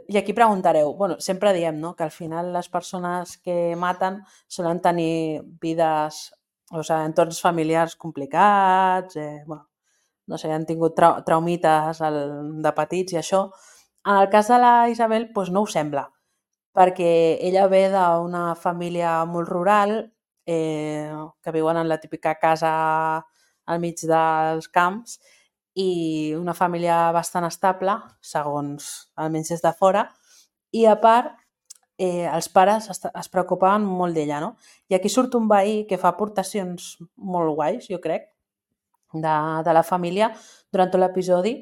i aquí preguntareu, bueno, sempre diem, no?, que al final les persones que maten solen tenir vides, o sigui, entorns familiars complicats, eh, bueno, no sé, han tingut trau traumites el, de petits i això. En el cas de la Isabel, doncs no ho sembla, perquè ella ve d'una família molt rural, eh, que viuen en la típica casa al mig dels camps, i una família bastant estable, segons almenys des de fora, i a part eh, els pares es, es preocupaven molt d'ella, no? I aquí surt un veí que fa aportacions molt guais, jo crec, de, de la família durant tot l'episodi.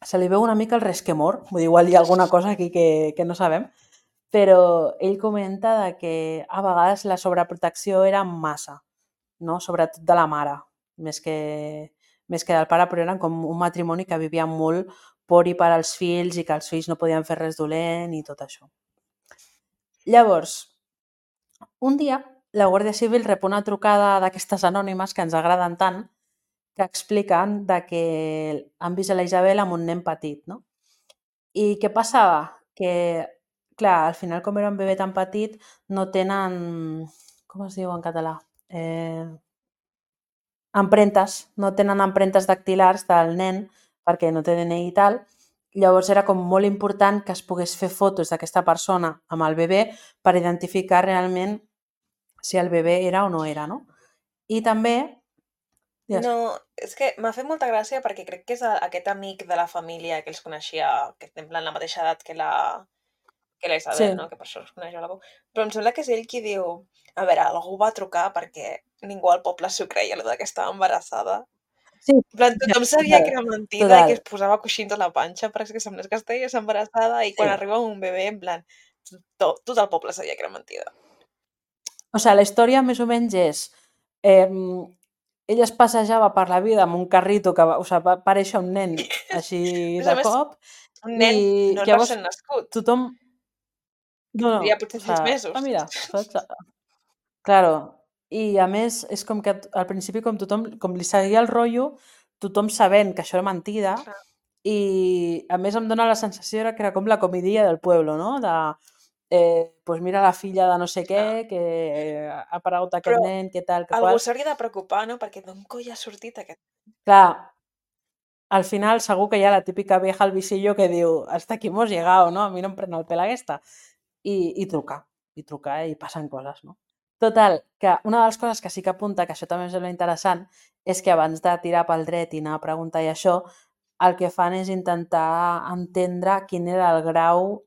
Se li veu una mica el resquemor, vull dir, igual hi ha alguna cosa aquí que, que no sabem, però ell comenta de que a vegades la sobreprotecció era massa, no? Sobretot de la mare, més que, més que del pare, però eren com un matrimoni que vivia molt por i per als fills i que els fills no podien fer res dolent i tot això. Llavors, un dia la Guàrdia Civil rep una trucada d'aquestes anònimes que ens agraden tant, que expliquen de que han vist a la Isabel amb un nen petit, no? I què passava? Que, clar, al final, com era un bebè tan petit, no tenen... Com es diu en català? Eh... Empremtes, no tenen empremtes dactilars del nen perquè no té D N I i tal. Llavors era com molt important que es pogués fer fotos d'aquesta persona amb el bebè per identificar realment si el bebè era o no era, no? I també... Digues. No, és que m'ha fet molta gràcia perquè crec que és aquest amic de la família que els coneixia, que té en plan la mateixa edat que la, que la Isabel, Sí. no? Que per això els coneix a la veu. Però em sembla que és ell qui diu, a veure, algú va trucar perquè ningú al poble s'ho creia, allò de que estava embarassada. Sí, En plan, tothom sabia total, que era mentida total. i que es posava coixins a la panxa perquè és que semblés que estigués embarassada i quan Sí. arriba un bebè, en plan, tot, tot el poble sabia que era mentida. O sigui, la història més o menys és... Eh, ella es passejava per la vida amb un carrito que va, o sigui, va aparèixer un nen així A més a de més, cop un nen i no és llavors recent nascut. tothom... No, no, Tindria potser o sis sigui, mesos. ah, mira, saps? Claro, i a més és com que al principi com tothom, com li seguia el rotllo, tothom sabent que això era mentida, Clar. i a més em dóna la sensació que era com la comedia del pueblo, no? De, eh, pues mira la filla de no sé què, Clar. que eh, ha aparegut aquest Però nen, què tal, que algú qual. s'hauria de preocupar, no? Perquè d'on coi ha sortit aquest... Clar, al final segur que hi ha la típica vieja al visillo que diu hasta aquí hemos llegado, no? A mi no em pren el pèl aquesta. I, i trucar, i trucar i passen coses, no? Total, que una de les coses que sí que apunta, que això també em sembla interessant, és que abans de tirar pel dret i anar a preguntar i això, el que fan és intentar entendre quin era el grau,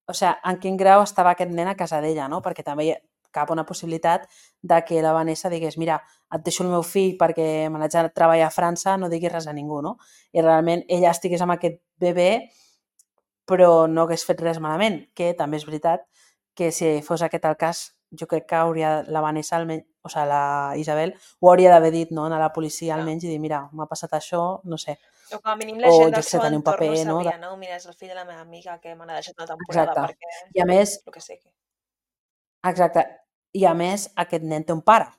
o sigui, en quin grau estava aquest nen a casa d'ella, no? Perquè també hi cap una possibilitat de que la Vanessa digués, mira, et deixo el meu fill perquè me n'haig de treballar a França, no diguis res a ningú, no? I realment ella estigués amb aquest bebè però no hagués fet res malament, que també és veritat que si fos aquest el cas, jo crec que hauria la Vanessa, almenys, o sigui, la Isabel, ho hauria d'haver dit, no?, a la policia almenys i dir, mira, m'ha passat això, no sé. O com a mínim la O, gent jo del què sé, seu tenir un entorn ho paper, no? sabria, De... no? Mira, és el fill de la meva amiga que me l'ha deixat una temporada Exacte. perquè... I a més, El que sigui. exacte, i a més aquest nen té un pare,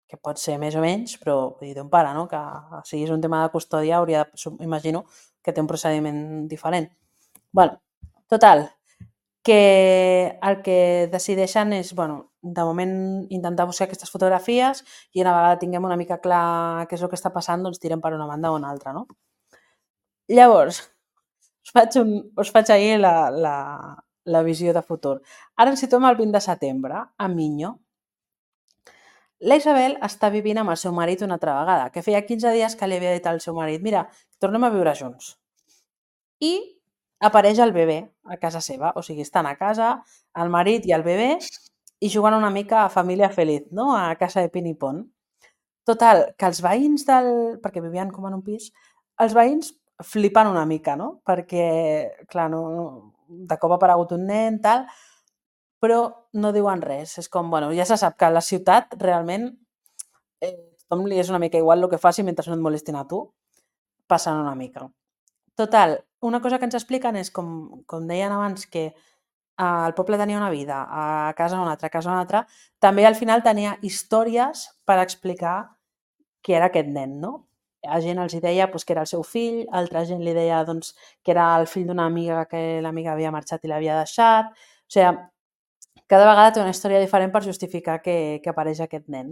que pot ser més o menys, però vull dir, té un pare, no? Que si és un tema de custòdia hauria de, imagino, que té un procediment diferent. Bueno, total, que el que decideixen és, bueno, de moment intentar buscar aquestes fotografies i una vegada tinguem una mica clar què és el que està passant, doncs tirem per una banda o una altra, no? Llavors, us faig, un, us faig ahir la, la, la visió de futur. Ara ens situem el vint de setembre, a Miño. La Isabel està vivint amb el seu marit una altra vegada, que feia quinze dies que li havia dit al seu marit, mira, tornem a viure junts. I apareix el bebè a casa seva, o sigui, estan a casa, el marit i el bebè, i jugant una mica a família feliç, no?, a casa de Pin i Pon. Total, que els veïns del... perquè vivien com en un pis, els veïns flipen una mica, no? Perquè, clar, no, de cop ha aparegut un nen, tal, però no diuen res. És com, bueno, ja se sap que a la ciutat realment eh, tothom li és una mica igual el que faci mentre no et molestin a tu, passen una mica. Total, una cosa que ens expliquen és, com, com deien abans, que eh, el poble tenia una vida, a casa una altra, a casa una altra, també al final tenia històries per explicar qui era aquest nen, no? A gent els hi deia doncs, que era el seu fill, altra gent li deia doncs, que era el fill d'una amiga que l'amiga havia marxat i l'havia deixat. O sigui, cada vegada té una història diferent per justificar que, que apareix aquest nen.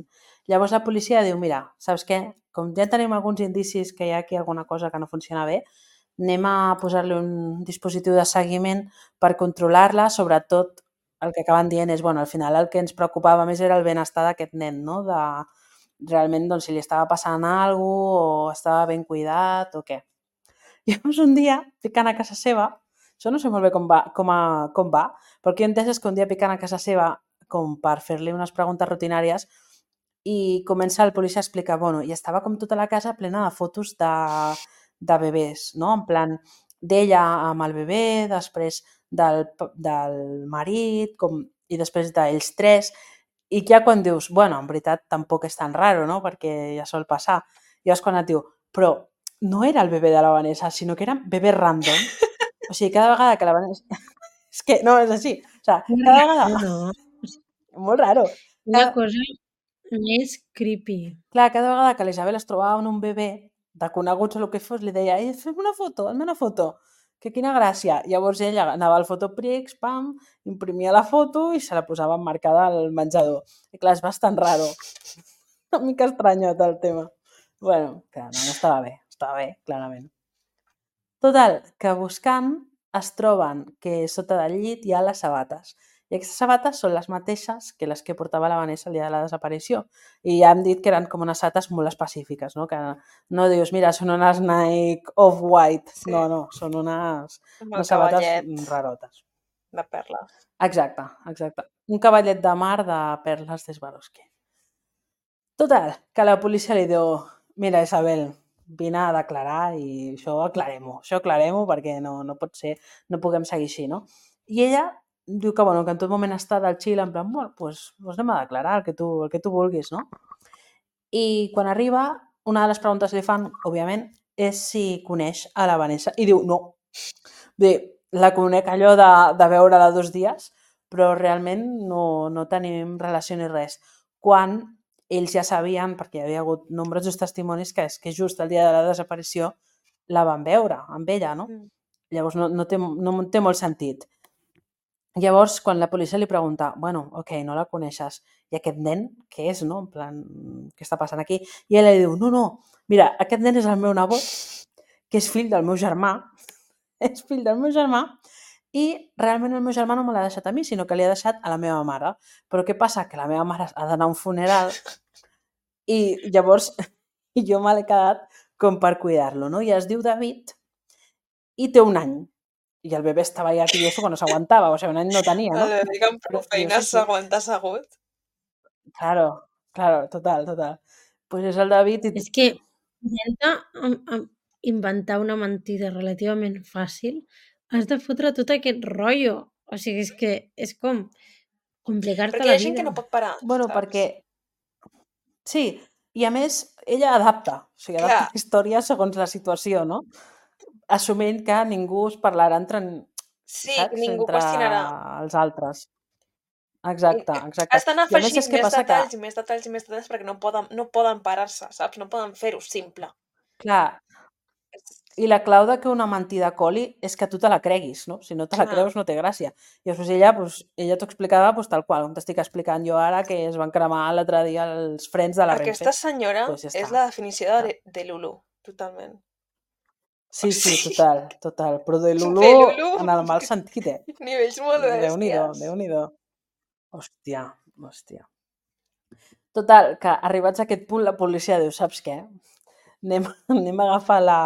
Llavors la policia diu, mira, saps què? Com ja tenim alguns indicis que hi ha aquí alguna cosa que no funciona bé, anem a posar-li un dispositiu de seguiment per controlar-la, sobretot el que acaben dient és, bueno, al final el que ens preocupava més era el benestar d'aquest nen, no? De, realment, doncs, si li estava passant alguna cosa o estava ben cuidat o què. Llavors, un dia, ficant a casa seva, això no sé molt bé com va, com, a, com va, però el que he entès és que un dia picant a casa seva com per fer-li unes preguntes rutinàries i comença el policia a explicar, bueno, i estava com tota la casa plena de fotos de, de bebès, no? En plan, d'ella amb el bebè, després del, del marit, com, i després d'ells tres, i ja quan dius, bueno, en veritat tampoc és tan raro, no? Perquè ja sol passar. I és quan et diu, però no era el bebè de la Vanessa, sinó que eren bebès random. O sigui, cada vegada que la Vanessa... és que no, és així. O sigui, cada vegada... No, Molt raro. una Cada... cosa més creepy. Clar, cada vegada que l'Isabel es trobava amb un bebè, de coneguts o el que fos, li deia, eh, fem una foto, fem una foto. Que quina gràcia. Llavors ella anava al Fotoprix, pam, imprimia la foto i se la posava emmarcada al menjador. I clar, és bastant raro. Una mica estranyot el tema. Bueno, que no, no estava bé, estava bé, clarament. Total, que buscant es troben que sota del llit hi ha les sabates. I aquestes sabates són les mateixes que les que portava la Vanessa el dia de la desaparició. I ja hem dit que eren com unes sabates molt específiques, no? Que no dius, mira, són unes Nike Off-White. Sí. No, no, són unes, Amb el unes sabates cavallet rarotes. de perles. Exacte, exacte. Un cavallet de mar de perles de Swarovski. Total, que la policia li diu, mira, Isabel, vine a declarar i això aclarem-ho, això aclarem-ho perquè no, no pot ser, no puguem seguir així, no? I ella diu que, bueno, que en tot moment està del xil, en plan, bueno, doncs, doncs anem a declarar el que, tu, el que tu vulguis, no? I quan arriba, una de les preguntes que li fan, òbviament, és si coneix a la Vanessa. I diu, no. Bé, la conec allò de, de veure-la dos dies, però realment no, no tenim relació ni res. Quan ells ja sabien, perquè hi havia hagut nombrosos testimonis, que és que just el dia de la desaparició la van veure amb ella, no? Mm. Llavors no, no, té, no té molt sentit. Llavors, quan la policia li pregunta, bueno, ok, no la coneixes, i aquest nen, què és, no? En plan, què està passant aquí? I ella li diu, no, no, mira, aquest nen és el meu nebot, que és fill del meu germà, és fill del meu germà, i realment el meu germà no me l'ha deixat a mi, sinó que li ha deixat a la meva mare. Però què passa? Que la meva mare ha d'anar a un funeral i llavors jo me l'he quedat com per cuidar-lo, no? I es diu David i té un any. I el bebè estava ja tieso que no s'aguantava, o sigui, un any no tenia, no? El bebè que amb prou feines s'aguanta assegut. Claro, claro, total, total. Pues és el David i... És que intenta inventar una mentida relativament fàcil, has de fotre tot aquest rotllo. O sigui, és que és com complicar-te la vida. Perquè hi ha gent que no pot parar, Bueno, saps? perquè... Sí, i a més, ella adapta, o sigui, adapta Clar. la història segons la situació, no? Assumint que ningú es parlarà entre, Sí, saps? ningú entre qüestionarà. els altres. Exacte, exacte. Estan I a més afegint és que més passa detalls que, i més detalls i més detalls perquè no poden, no poden parar-se, saps? No poden fer-ho simple. clar, i la clau de que una mentida coli és que tu te la creguis, no? Si no te la Clar. creus no té gràcia. I després ella, pues, ella t'ho explicava pues, tal qual, com t'estic explicant jo ara, que es van cremar l'altre dia els frens de la Aquesta Renfe. senyora Pues ja està. és la definició de, de Lulu, totalment. Sí, O sí, sigui, total, total. Però de Lulu, de Lulu, en el mal sentit, eh? nivells molt Déu-n'hi-do, bèsties. Déu-n'hi-do. Hòstia, hòstia. Total, que arribats a aquest punt la policia diu, saps què? Anem, anem a agafar la,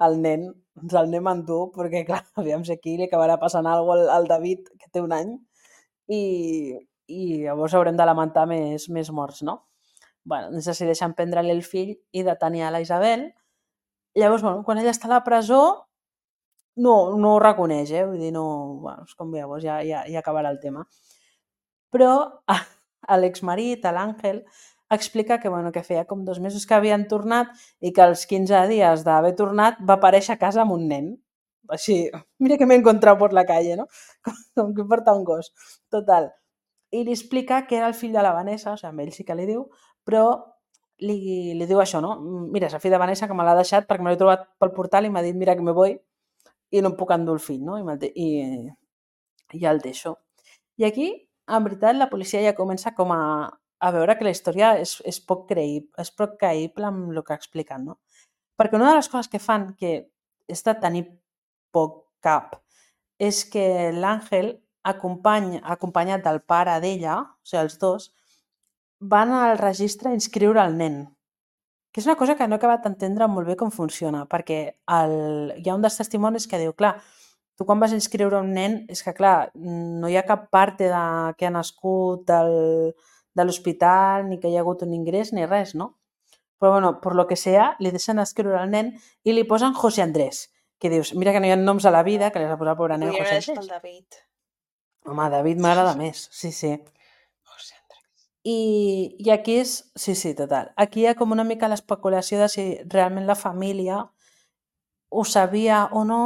el nen, ens el anem a endur, perquè clar, aviam si aquí li acabarà passant alguna cosa al David, que té un any, i, i llavors haurem de lamentar més, més morts, no? Bueno, doncs decideixen prendre-li el fill i detenir a la Isabel, Llavors, bueno, quan ella està a la presó, no, no ho reconeix, eh? Vull dir, no... Bueno, és com llavors, ja, ja, ja acabarà el tema. Però l'exmarit, l'Àngel, explica que, bueno, que feia com dos mesos que havien tornat i que als quinze dies d'haver tornat va aparèixer a casa amb un nen. Així, mira que m'he encontrat per la calle, no? Com, com que porta un gos. Total. I li explica que era el fill de la Vanessa, o sigui, amb ell sí que li diu, però li, li diu això, no? Mira, és el fill de Vanessa que me l'ha deixat perquè me l'he trobat pel portal i m'ha dit, mira que me voy i no em puc endur el fill, no? I, de, i, i ja el deixo. I aquí, en veritat, la policia ja comença com a, a veure que la història és, és, poc creïble, és poc creïble amb el que expliquen, no? Perquè una de les coses que fan, que és de tenir poc cap, és que l'Àngel, acompany, acompanyat del pare d'ella, o sigui, els dos, van al registre a inscriure el nen. Que és una cosa que no he acabat d'entendre molt bé com funciona, perquè el, hi ha un dels testimonis que diu, clar, tu quan vas inscriure un nen, és que clar, no hi ha cap part de, que ha nascut del, de l'hospital, ni que hi ha hagut un ingrés, ni res, no? Però bueno, per lo que sea, li deixen escriure el nen i li posen José Andrés, que dius, mira que no hi ha noms a la vida, que li has de posar pobre nen Podria José haver deixat el Andrés. David. Home, David m'agrada més, sí, sí. José Andrés. I, I aquí és... Sí, sí, total. Aquí hi ha com una mica l'especulació de si realment la família ho sabia o no,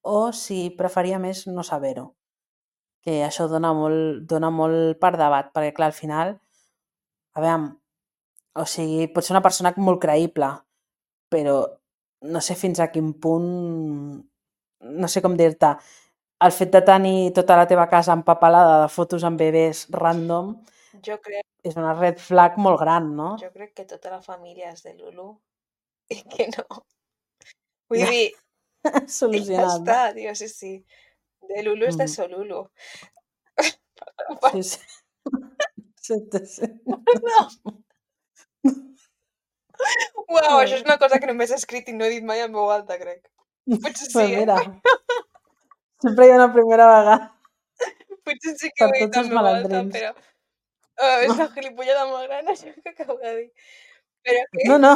o si preferia més no saber-ho. Que això dona molt, dona molt per debat, perquè clar, al final, a veure, o sigui, pot ser una persona molt creïble, però no sé fins a quin punt, no sé com dir-te, el fet de tenir tota la teva casa empapelada de fotos amb bebès random Jo crec, és una red flag molt gran, no? jo crec que tota la família és de Lulu i que no. Vull dir, ja Solucionat, està, no? tio, sí, sí. De Lulu és de Mhm. Solulu. Sí, sí. Sí, sí, sí. No. Uau, això és una cosa que només he escrit i no he dit mai en veu alta, crec. Potser sí, Pues eh? mira, sempre hi ha una primera vegada Potser sí que ho per he dit tots en els veu alta, malandrins. però... Oh, és la gilipollada molt gran, això que acabo de dir. Però que... No, no,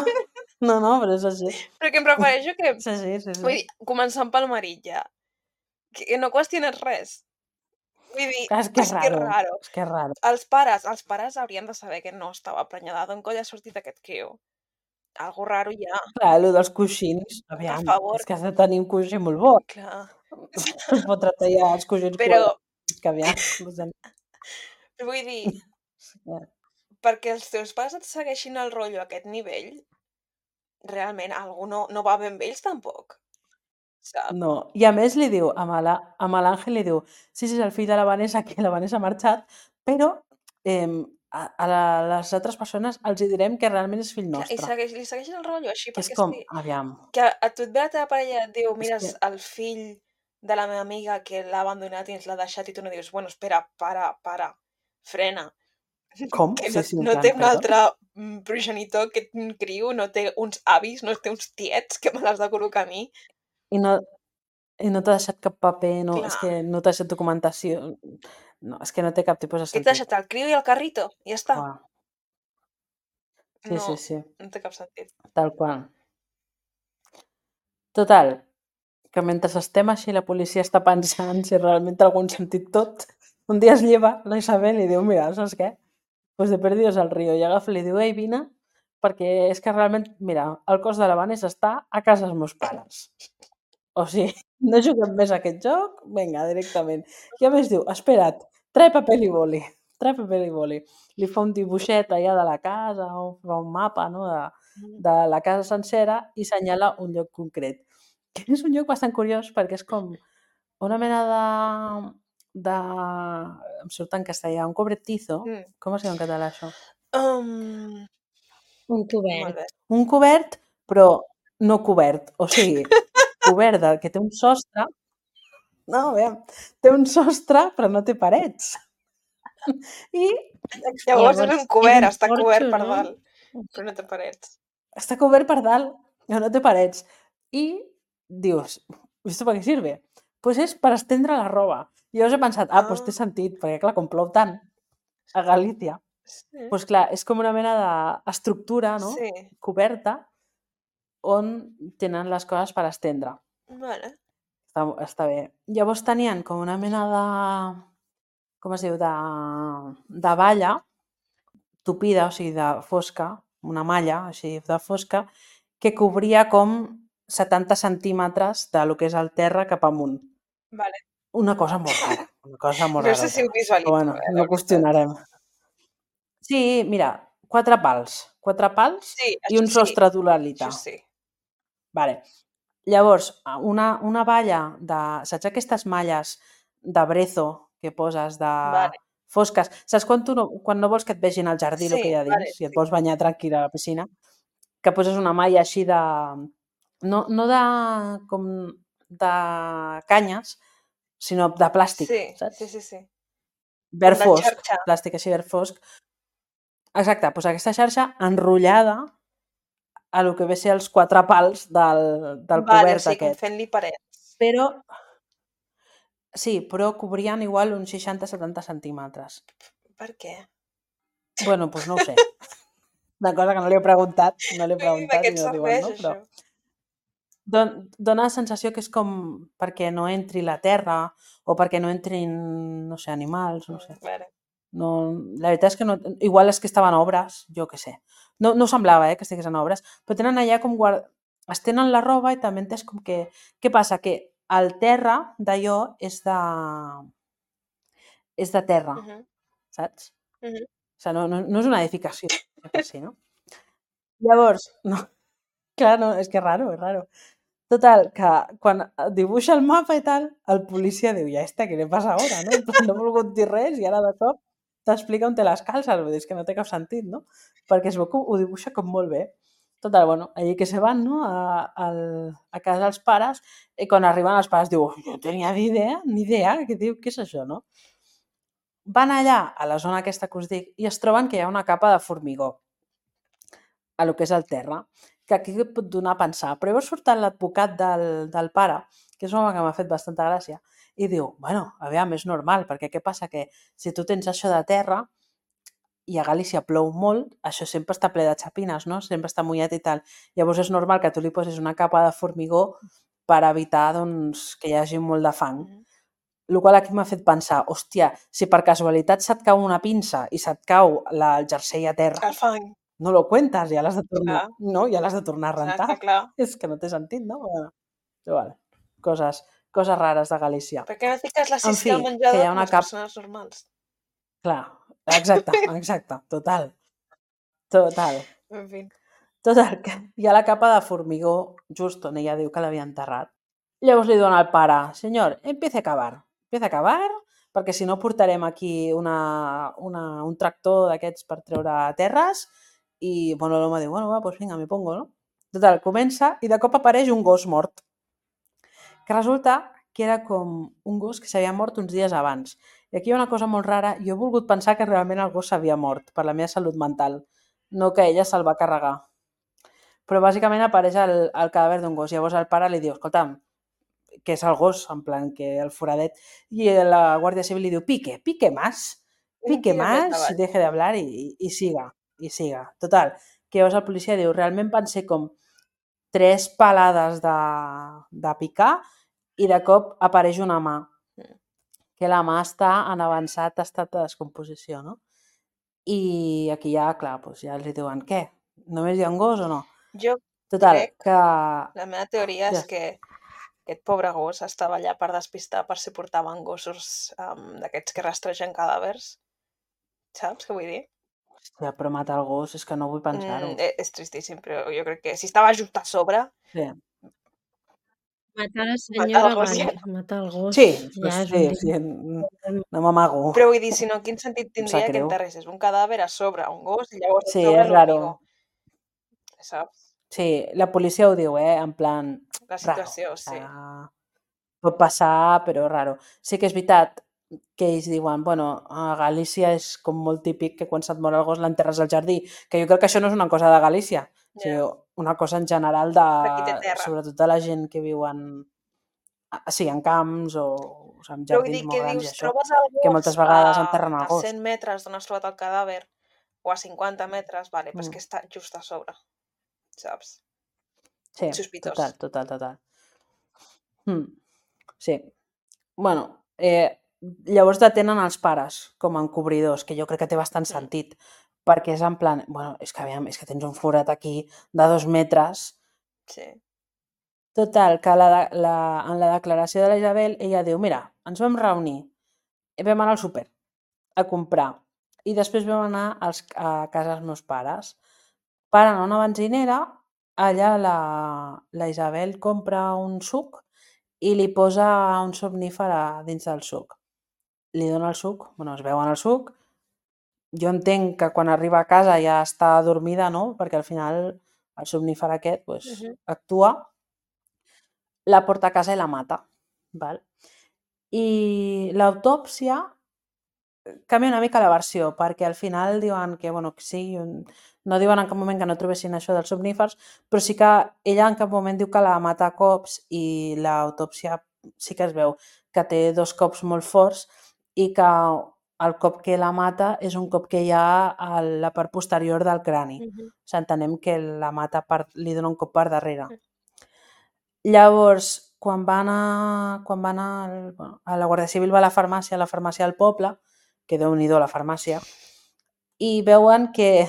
no, no, però és així. Però que em refereixo que... És així, sí, Vull sí. dir, començant pel marit ja, que no qüestiones res. Vull dir, Clar, és que és és que és raro, raro. és que és raro. Els pares, els pares haurien de saber que no estava prenyada. D'on coll ha sortit aquest quio? Algo raro hi ha. Clar, allò dels coixins, aviam, favor. és que has de tenir un coixí molt bo. Clar. Per fotre-te ja els coixins Però, quadrats, que aviam, no sé. vull dir, Sí, eh. perquè els teus pares et segueixin el rotllo a aquest nivell, realment algú no, no va bé amb ells tampoc. Saps? No, i a més li diu, amb la- amb l'Àngel li diu, sí, sí, és el fill de la Vanessa, que la Vanessa ha marxat, però eh, a, a la, les altres persones els hi direm que realment és fill Clar, I nostre. segueix, li segueixen el rotllo així, Que és perquè com, és que, aviam, que a, a tu et ve la teva parella i et diu, és mira, que, el fill de la meva amiga que l'ha abandonat i ens l'ha deixat i tu no dius, bueno, espera, para, para, frena. com? Que Sí, no, sí, en no plan, té un perdó. altre mm, progenitor que un criu, no té uns avis, no té uns tiets que me l'has de col·locar a mi. I no, i no t'ha deixat cap paper, no, és Clar. que no t'ha deixat documentació, no, és que no té cap tipus de Què t'ha sentit. deixat el criu i el carrito? I ja està. Uau. Sí, No, sí, sí, no té cap sentit. tal qual. Total, que mentre estem així la policia està pensant si realment té algun sentit tot, un dia es lleva la Isabel i diu, mira, saps què? Pues de perdidos al río, i agafa i li diu, ei, vine, perquè és que realment, mira, el cos de la Vanessa està a casa dels meus pares. O sigui, no juguem més a aquest joc, vinga, directament. I a més diu, espera't, trae paper i boli, trae paper i boli. Li fa un dibuixet allà de la casa, o fa un mapa, no?, de, de la casa sencera i assenyala un lloc concret. Que és un lloc bastant curiós perquè és com una mena de... de... em surt en castellà, un cobertizo. Mm. Com es diu en català això? Um, Un molt cobert. bé. Un cobert, però no cobert. O sigui, cobert de, que té un sostre. No, aviam, té un sostre, però no té parets. I Llavors, Llavors, és un és cobert, un està porxo, cobert per no? dalt, però no té parets. està cobert per dalt, però no té parets. I dius, ¿esto para qué sirve? Pues és per estendre la roba. I llavors he pensat, ah, Ah. pues té sentit, perquè clar, com plou tant a Galícia, Sí. pues clar, és com una mena d'estructura, no?, Sí. coberta, on tenen les coses per estendre. Vale. Està, està bé. Llavors tenien com una mena de... com es diu? De, de valla tupida, o sigui, de fosca, una malla així de fosca, que cobria com setanta centímetres de lo que és el terra cap amunt. Vale. Una cosa molt rara, una cosa molt No rara. sé si ho visualitzo, Però bueno, eh, la no veritat. qüestionarem. Sí, mira, quatre pals. Quatre pals Sí, i això un sí, sostre d'uralita. això sí. Vale. Llavors, una, una valla de... Saps aquestes malles de brezo que poses de Vale. fosques? Saps quan, tu no, quan no vols que et vegin al jardí el Sí, que hi ha vale, dins i et sí. vols banyar tranquil a la piscina? Que poses una malla així de... No, no de... com de canyes, sinó de plàstic, Sí, saps? sí, sí, sí. Verd Com de fosc, xarxa. plàstic així verd fosc. Exacte, doncs aquesta xarxa enrotllada a lo que ve a ser els quatre pals del, del Vale, o cobert sigui, com aquest. fent-li parets. Però, sí, però cobrien igual uns seixanta setanta centímetres. Per què? Bueno, doncs no ho sé. Una cosa que no li he preguntat, no li he De preguntat què i et no diuen, serveix, no? Però això? don, dona la sensació que és com perquè no entri la terra o perquè no entrin, no sé, animals, no sé. Mm, Vale. No, la veritat és que no, igual és que estaven a obres, jo què sé. No, no semblava eh, que estigués en obres, però tenen allà com guard... es tenen la roba i també entès com que... Què passa? Que el terra d'allò és de... és de terra, Uh -huh. saps? Uh -huh. O sigui, no, no, no és una edificació, per si, no? Llavors, no, clar, no, és que és raro, és raro. Total, que quan dibuixa el mapa i tal, el policia diu, ja està, què li passa ara, no? En plan, no he volgut dir res i ara de cop t'explica on té les calces, vull dir, és que no té cap sentit, no? Perquè es veu que ho dibuixa com molt bé. Total, bueno, allí que se van, no?, a, a, a casa dels pares, i quan arriben els pares diu, jo no tenia ni idea, ni idea, què diu, què és això, no? Van allà, a la zona aquesta que us dic, i es troben que hi ha una capa de formigó a lo que és el terra, que aquí et pot donar a pensar. Però llavors surt l'advocat del, del pare, que és un home que m'ha fet bastanta gràcia, i diu, bueno, aviam, és normal, perquè què passa? Que si tu tens això de terra i a Galícia plou molt, això sempre està ple de xapines, no? Sempre està mullat i tal. Llavors és normal que tu li posis una capa de formigó per evitar doncs, que hi hagi molt de fang. Uh -huh. El qual aquí m'ha fet pensar, hòstia, si per casualitat se't cau una pinça i se't cau la, el jersei a terra, El fang. no lo cuentas, ja l'has de tornar, Clar. no, ja l'has de tornar a rentar. Exacte, clar. És que no té sentit, no? Però, però vale, coses, coses rares de Galícia. Per què no fiques la En sisca fi, al que menjador hi ha com una les cap... persones normals? Clar, exacte, exacte, total. Total. En fi. Total, que hi ha la capa de formigó just on ella diu que l'havia enterrat. Llavors li diuen al pare, senyor, empiece a cavar, empiece a cavar, perquè si no portarem aquí una, una, un tractor d'aquests per treure terres i, bueno, l'home diu, bueno, va, pues vinga, me pongo, no? Total, comença i de cop apareix un gos mort, que resulta que era com un gos que s'havia mort uns dies abans. I aquí hi ha una cosa molt rara, jo he volgut pensar que realment el gos s'havia mort per la meva salut mental, no que ella se'l va carregar. Però bàsicament apareix el, el cadàver d'un gos. Llavors el pare li diu, escolta'm, que és el gos, en plan, que el foradet, i la Guàrdia Civil li diu, pique, pique más, pique Tira més más, avall. deje de hablar i, i siga, i siga. Total, que llavors el policia diu, realment van ser com tres palades de, de picar i de cop apareix una mà, que la mà està en avançat estat de descomposició, no? I aquí ja, clar, doncs ja els diuen, què? Només hi ha un gos o no? Jo Total, crec, que... la meva teoria és Ja. que aquest pobre gos estava allà per despistar per si portaven gossos um, d'aquests que rastregen cadàvers. Saps què vull dir? Hòstia, però matar el gos és que no vull pensar-ho. Mm, és tristíssim, però jo crec que si estava just a sobre... Sí. Matar la Matar senyora, el gos vale. ja no. Matar el gos Sí, ja és sí, un sí, tema. n- no m'amago. Però vull dir, si no, quin sentit Em tindria sap que greu. enterressis un cadàver a sobre un gos i llavors a Sí, sobre és raro. l'hormigó? Saps? Sí, la policia ho diu, eh? En plan, La raro. situació, O sí. sea, pot passar, però raro. Sí que és veritat que ells diuen, bueno, a Galícia és com molt típic que quan se't mor el gos l'enterres al jardí, que jo crec que això no és una cosa de Galícia, Ja. sinó una cosa en general De qui té de, terra. sobretot de la gent que viu en, a- sí, en camps o, o sigui, en Però vull jardins dir molt que grans i dius, això, trobes el que gos moltes vegades a, enterren el a gos. cent metres d'on has trobat el cadàver o a cinquanta metres, vale, però és Mm. que està just a sobre, saps? Sí, sospitós. total, total, total. Mm. Sí. Bueno, eh, llavors detenen els pares com a encobridors, que jo crec que té bastant Mm. sentit, perquè és en plan, bueno, és que, aviam, és que tens un forat aquí de dos metres. Sí. Total, que la, la, en la declaració de la Isabel, ella diu, mira, ens vam reunir, vam anar al súper a comprar i després vam anar als, a casa dels meus pares. Paren a una benzinera, allà la, la Isabel compra un suc i li posa un somnífer a dins del suc. Li dona el suc, bueno, es veuen el suc. Jo entenc que quan arriba a casa ja està dormida, no? Perquè al final el somnífer aquest pues, Mhm. actua, la porta a casa i la mata. Val? I l'autòpsia canvia una mica la versió, perquè al final diuen que, bueno, que sí, no diuen en cap moment que no trobessin això dels somnífers, però sí que ella en cap moment diu que la mata a cops i l'autòpsia sí que es veu que té dos cops molt forts i que el cop que la mata és un cop que hi ha a la part posterior del crani. Mhm. O sigui, entenem que la mata per, li dona un cop per darrere. Llavors, quan va anar, quan va anar el, bueno, a la Guàrdia Civil va a la farmàcia, a la farmàcia del poble, que déu-n'hi-do la farmàcia, i veuen que,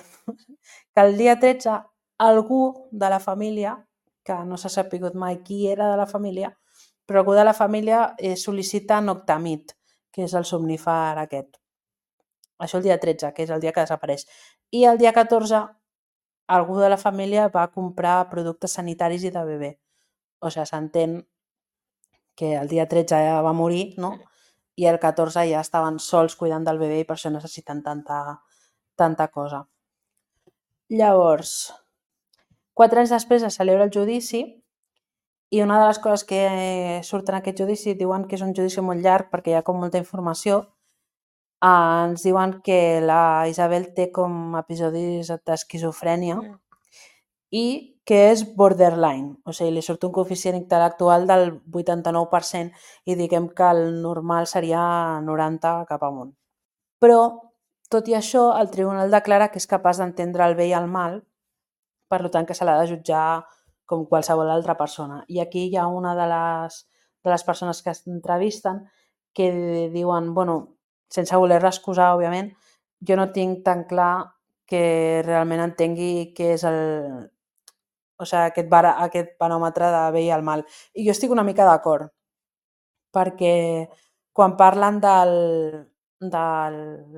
que el dia tretze algú de la família, que no s'ha sapigut mai qui era de la família, però algú de la família eh, sol·licita Noctamid, que és el somnífer aquest. Això el dia tretze, que és el dia que desapareix. I el dia catorze algú de la família va comprar productes sanitaris i de bebè. O sigui, s'entén que el dia tretze ja va morir, no? I el catorze ja estaven sols cuidant del bebè i per això necessiten tanta, tanta cosa. Llavors, quatre anys després es celebra el judici i una de les coses que surten en aquest judici diuen que és un judici molt llarg perquè hi ha com molta informació. Eh, ens diuen que la Isabel té com episodis d'esquizofrènia Mm. i que és borderline, o sigui, li surt un coeficient intel·lectual del vuitanta-nou per cent i diguem que el normal seria noranta cap amunt. Però, tot i això, el tribunal declara que és capaç d'entendre el bé i el mal, per tant que se l'ha de jutjar com qualsevol altra persona. I aquí hi ha una de les, de les persones que s'entrevisten que diuen, bueno, sense voler-la excusar, òbviament, jo no tinc tan clar que realment entengui què és el, o sigui, aquest, bar, aquest baròmetre de bé i el mal. I jo estic una mica d'acord, perquè quan parlen del, del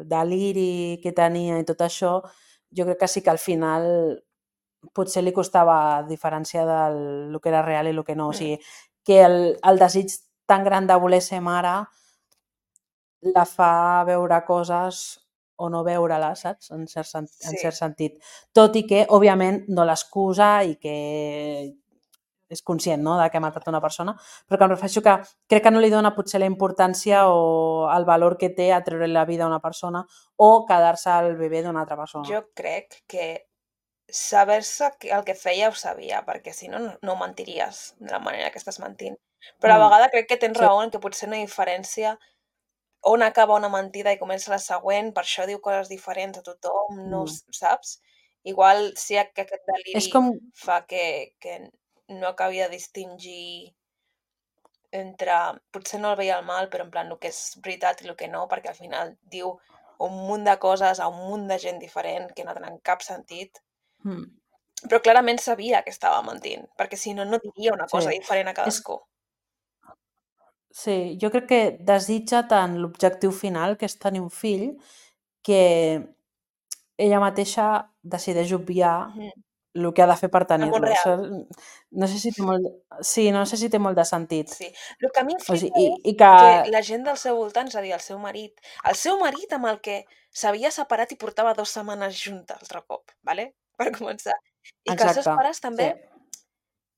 deliri que tenia i tot això, jo crec que sí que al final potser li costava diferenciar del el que era real i el que no. O sigui, que el, el desig tan gran de voler ser mare la fa veure coses o no veure-les, saps? En cert, en Sí. cert sentit. Tot i que, òbviament, no l'excusa i que és conscient, no?, de que ha matat una persona, però que em refereixo que crec que no li dona potser la importància o el valor que té a treure la vida a una persona o quedar-se el bebè d'una altra persona. Jo crec que saber-se el que feia ho sabia, perquè si no, no mentiries de la manera que estàs mentint. Però a Mm. vegades crec que tens Sí. raó en que potser no hi ha diferència on acaba una mentida i comença la següent, per això diu coses diferents a tothom, no Mm. saps? Igual sí que aquest És deliri com... fa que, que no acabi de distingir entre... Potser no el veia el mal, però en plan el que és veritat i el que no, perquè al final diu un munt de coses a un munt de gent diferent que no tenen cap sentit. Mm. Però clarament sabia que estava mentint, perquè si no, no diria una cosa Sí. diferent a És... cadascú. Sí, jo crec que desitja tant l'objectiu final, que és tenir un fill, que ella mateixa decideix obviar Mhm. el que ha de fer per El món tenir-lo. real. Això, no sé si té molt... Sí, no sé si té molt de sentit. Sí. El que a mi em O flipa sigui, i, és i que... que la gent del seu voltant, és a dir, el seu marit, el seu marit amb el que s'havia separat i portava dues setmanes junta altre cop, ¿vale? Per començar. I que els seus Exacte, pares també sí,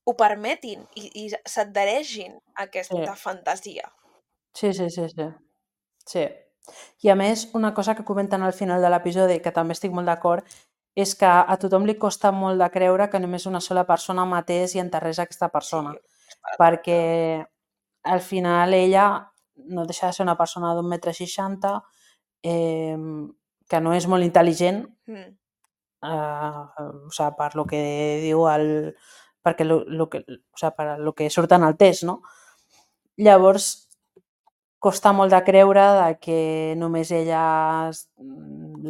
ho permetin i, i s'adhereixin a aquesta sí, fantasia. sí, sí, sí, sí. Sí. I a més, una cosa que comenten al final de l'episodi, que també estic molt d'acord, és que a tothom li costa molt de creure que només una sola persona matés i enterrés aquesta Sí, persona, és per perquè al final ella no deixa de ser una persona d'un metre seixanta, eh, que no és molt intel·ligent, Mm. eh, o sigui, per lo que diu el, perquè lo, lo que, o sigui, per lo que surt en el test, no? Llavors, costa molt de creure de que només ella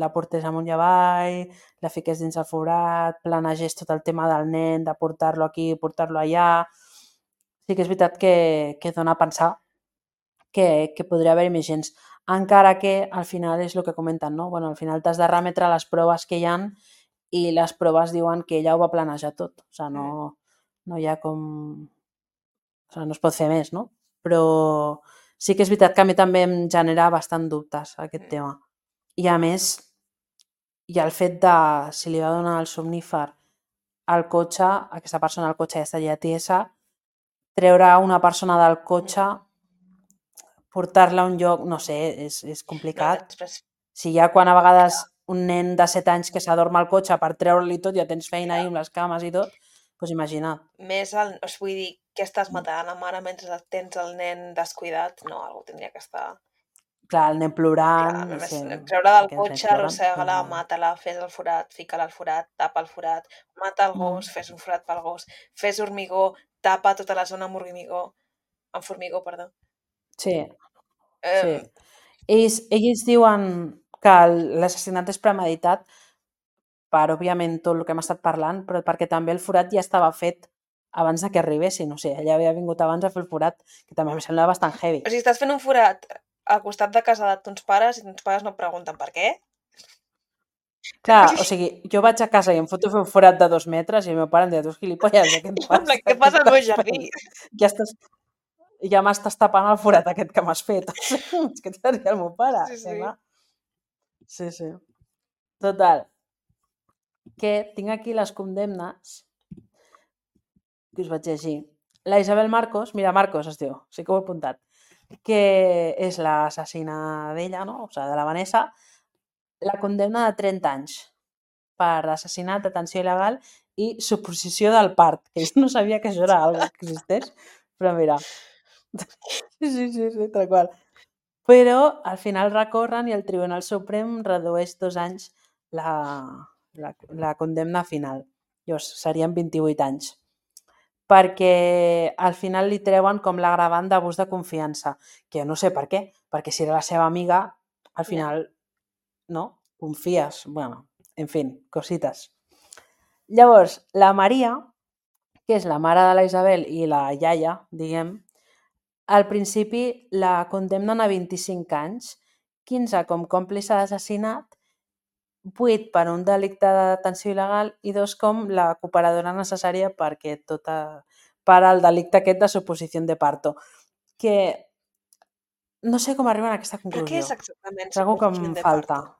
la portés amunt i avall, la fiqués dins el forat, planegés tot el tema del nen, de portar-lo aquí, portar-lo allà. Sí que és veritat que, que dona a pensar que, que podria haver-hi més gens. Encara que al final és el que comenten, no? Bueno, al final t'has de remetre a les proves que hi ha i les proves diuen que ella ho va planejar tot. O sigui, no, no hi ha com... O sigui, no es pot fer més, no? Però sí que és veritat que a mi també em genera bastant dubtes aquest tema. I a més, hi ha el fet de si li va donar el somnífer al cotxe, aquesta persona al cotxe ja estaria tiesa, treure una persona del cotxe, portar-la a un lloc, no sé, és, és complicat. No, després... Si ja quan a vegades un nen de set anys que s'adorm al cotxe per treure-li tot, ja tens feina ahí amb les cames i tot, doncs imagina't. Més, el, o sigui, vull dir, que estàs matant la mare mentre tens el nen descuidat? No, algú tindria que estar... Clar, el nen plorant... Clar, només sí, treure del aquests nens cotxe, ploren, arrossega-la, però- mata-la, fes el forat, fica-la al forat, tapa el forat, mata el Mm. gos, fes un forat pel gos, fes hormigó, tapa tota la zona amb hormigó, amb formigó, perdó. Sí, Eh, sí. Ells, ells diuen que el- l'assassinat és premeditat per, òbviament, tot el que hem estat parlant, però perquè també el forat ja estava fet abans de que arribessin. O sigui, ella havia vingut abans a fer el forat, que també em sembla bastant heavy. O sigui, estàs fent un forat al costat de casa de tons pares i tons pares no et pregunten per què? Clar, o sigui, jo vaig a casa i em foto a fer un forat de dos metres i el meu pare em deia, tu gilipolles, què et passa? Què passa al meu jardí? Ja estàs... Ja m'estàs tapant el forat aquest que m'has fet. O sigui, és que t'agradaria el meu pare. Sí, que sí. clar. Sí, sí. Total. Que tinc aquí les condemnes que us vaig llegir. La Isabel Marcos, mira, Marcos es diu, sí que ho he apuntat, que és l'assassina d'ella, no? O sigui, de la Vanessa, la condemna de trenta anys per assassinat, detenció il·legal i suposició del part, que jo no sabia que això era algo que existeix, però mira. Sí, sí, sí, sí, tal qual. Però al final recorren i el Tribunal Suprem redueix dos anys la, la, la condemna final. Llavors, serien vint-i-vuit anys. Perquè al final li treuen com l'agravant d'abús de confiança, que jo no sé per què, perquè si era la seva amiga, al final, no? Confies. Bueno, en fi, cosites. Llavors, la Maria, que és la mare de la Isabel i la iaia, diguem, al principi la condemnen a vint-i-cinc anys, quinze com còmplice d'assassinat, vuit per un delicte de detenció il·legal i dos com la cooperadora necessària perquè tota, per al delicte aquest de suposició de parto. Que no sé com arriben a aquesta Però conclusió. què és exactament És algo que em suposició de falta. parto?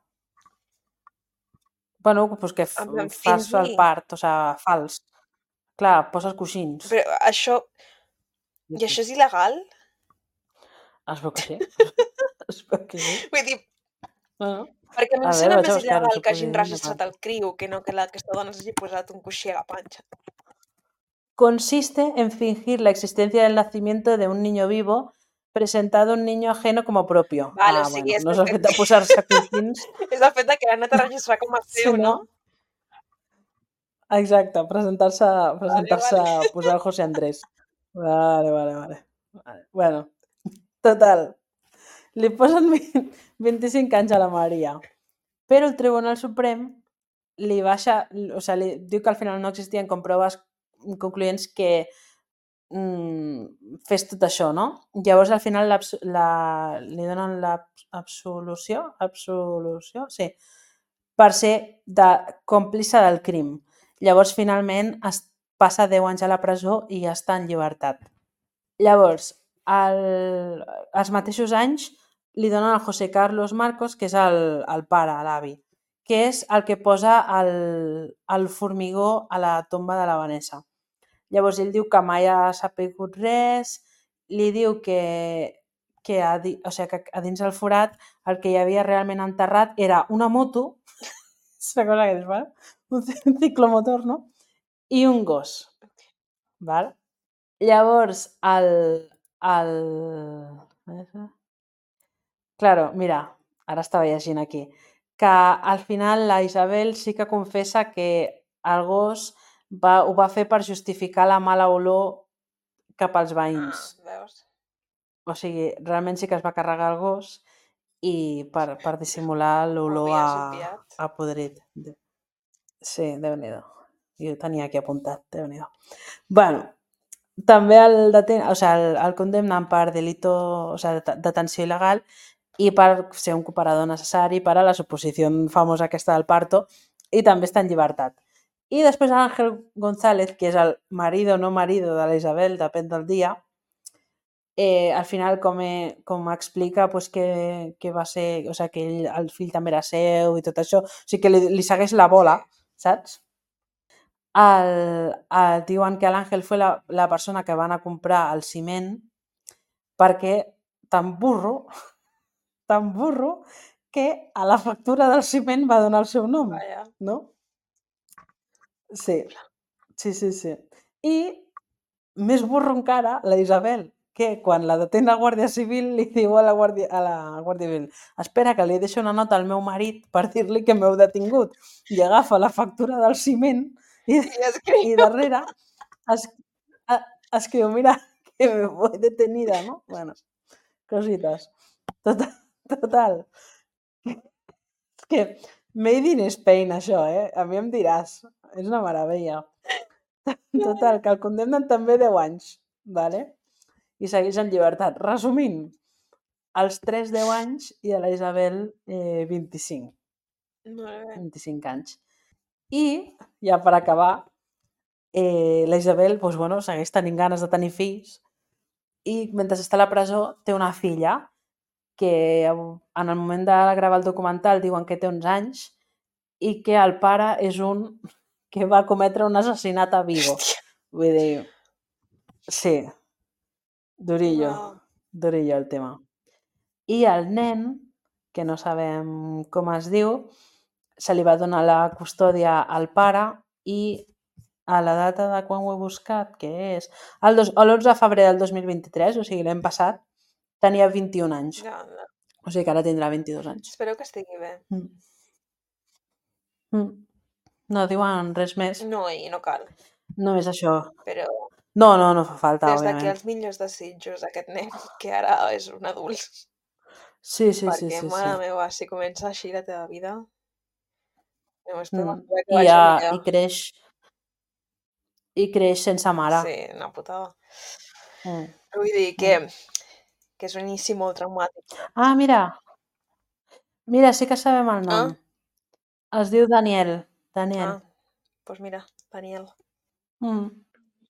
Bueno, pues que f- En plan, fas el fingir. part, o sigui, fals. Clar, poses coixins. Però això... I això és il·legal? Es veu que sí. Es veu que sí. Vull dir, Bueno, perquè a mi a em veure, sembla vaig a més buscar il·legal que hagin suposició de registrat parto. el criu que no que la, aquesta dona s'hagi posat un coixí a la panxa. Consiste en fingir la existencia del nacimiento de un niño vivo presentado un niño ajeno como propio. Vale, ah, o sigui, bueno, és no és el el fet fet de posar-se coixins, és el fet de que l'han anat a registrar com a seu, sinó... no? Exacte, presentar-se, presentar-se, vale. posar el José Andrés. Vale, vale, vale. vale. Bueno, total. Li posen vint, vint-i-cinc anys a la Maria, però el Tribunal Suprem li baixa, o sigui, li diu que al final no existien com proves concloents que mm, fes tot això, no? Llavors al final la, li donen l'absolució, absolució, sí, per ser de còmplice del crim. Llavors finalment es passa deu anys a la presó i ja està en llibertat. Llavors, el, els mateixos anys li donen al José Carlos Marcos, que és el, el pare, l'avi, que és el que posa el, el formigó a la tomba de la Vanessa. Llavors ell diu que mai ha sapigut res, li diu que, que, a, o sigui, que a dins del forat el que hi havia realment enterrat era una moto, és una cosa que dius, val? Un ciclomotor, no? I un gos. Val? Llavors, el... el... Claro, mira, ara estava llegint aquí, que al final la Isabel sí que confessa que el gos va, ho va fer per justificar la mala olor cap als veïns. Ah, veus? O sigui, realment sí que es va carregar el gos i per, per dissimular Ho l'olor havies a, obviat. a podrit. Sí, Déu-n'hi-do. Jo ho tenia aquí apuntat, Déu-n'hi-do. Bueno, també el, deten o sigui, el, el condemnen per delito, o sigui, de detenció il·legal i per ser un cooperador necessari per a la suposició famosa aquesta del parto, i també està en llibertat. I després Ángel González, que és el marido o no marido de la Isabel, depèn del dia, eh, al final com, eh, com explica pues, que, que va ser, o sigui, que ell, el fill també era seu i tot això, o sigui que li, li segueix la bola, saps? El, el, diuen que l'Àngel fue la, la persona que va anar a comprar el ciment perquè tan burro, tan burro, que a la factura del ciment va donar el seu nom, Vaja. no? Sí, sí, sí, sí. I més burro encara, la Isabel, que quan la detén la Guàrdia Civil li diu a la Guàrdia, a la Guàrdia Civil, espera que li deixo una nota al meu marit per dir-li que m'heu detingut, i agafa la factura del ciment i, I escriu. i darrere es, a, escriu, mira, que me voy detenida, no? Bueno, cositas. Total, total. És que made in Spain, això, eh? A mi em diràs. És una meravella. Total, que el condemnen també deu anys, vale? I segueix en llibertat. Resumint, els tres deu anys i a la Isabel eh, vint-i-cinc. Molt bé. vint-i-cinc anys. I, ja per acabar, eh, la Isabel doncs, bueno, segueix tenint ganes de tenir fills i mentre està a la presó té una filla que en el moment de gravar el documental diuen que té onze anys i que el pare és un que va cometre un assassinat a Vigo. Hòstia. Vull dir, sí, durillo, Wow. durillo el tema. I el nen, que no sabem com es diu, se li va donar la custòdia al pare i a la data de quan ho he buscat, que és l'onze de febrer del dos mil vint-i-tres, o sigui, l'any passat, tenia vint-i-un anys. Ja, no. O sigui que ara tindrà vint-i-dos anys. Espero que estigui bé. Mm. Mm. No diuen res més. No, i no cal. Només això. Però No, no, no fa falta, des d'aquí òbviament. els millors desitjos a aquest nen, que ara és un adult. Sí, sí, sí, Perquè, sí, mare sí. meva, si comença així la teva vida, només podem Mm. esperar que I, vagi ja, millor. i creix i creix sense mare. Sí, una putada. Mm. Però vull dir que, que és un inici molt traumàtic. Ah, mira. Mira, sí que sabem el nom. Ah? Es diu Daniel. Daniel. Ah, doncs mira, Daniel. Mm.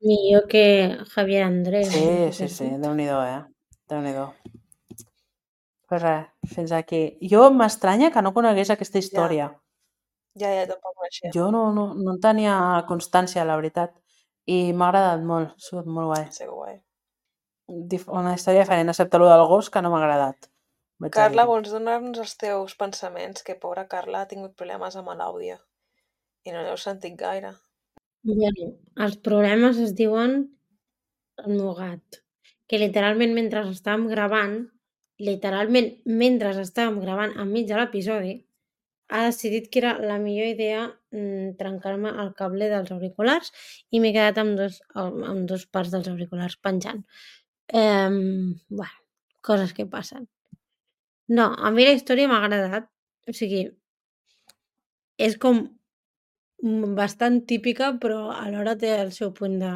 Millor que Javier Andrés. Sí, no sé sí, què sí, has dit. Déu-n'hi-do, eh? Déu-n'hi-do. Pues res, fins aquí. Jo m'estranya que no conegués aquesta història. Ja, ja, tampoc ho coneixia. Jo no, no, no en tenia constància, la veritat. I m'ha agradat molt, ha sigut molt guai. Sí, guai. Dif una història diferent, excepte el del gos, que no m'ha agradat. Vaig a Carla, dir-ho. vols donar-nos els teus pensaments? Que pobra Carla ha tingut problemes amb l'àudio. I no l'heu sentit gaire. Bueno, els problemes es diuen el meu gat, que literalment mentre estàvem gravant, literalment mentre estàvem gravant enmig de l'episodi, ha decidit que era la millor idea mm, trencar-me el cable dels auriculars i m'he quedat amb dos, amb dos parts dels auriculars penjant. Eh, bueno, coses que passen. No, a mi la història m'ha agradat. O sigui, és com mm, bastant típica, però alhora té el seu punt de...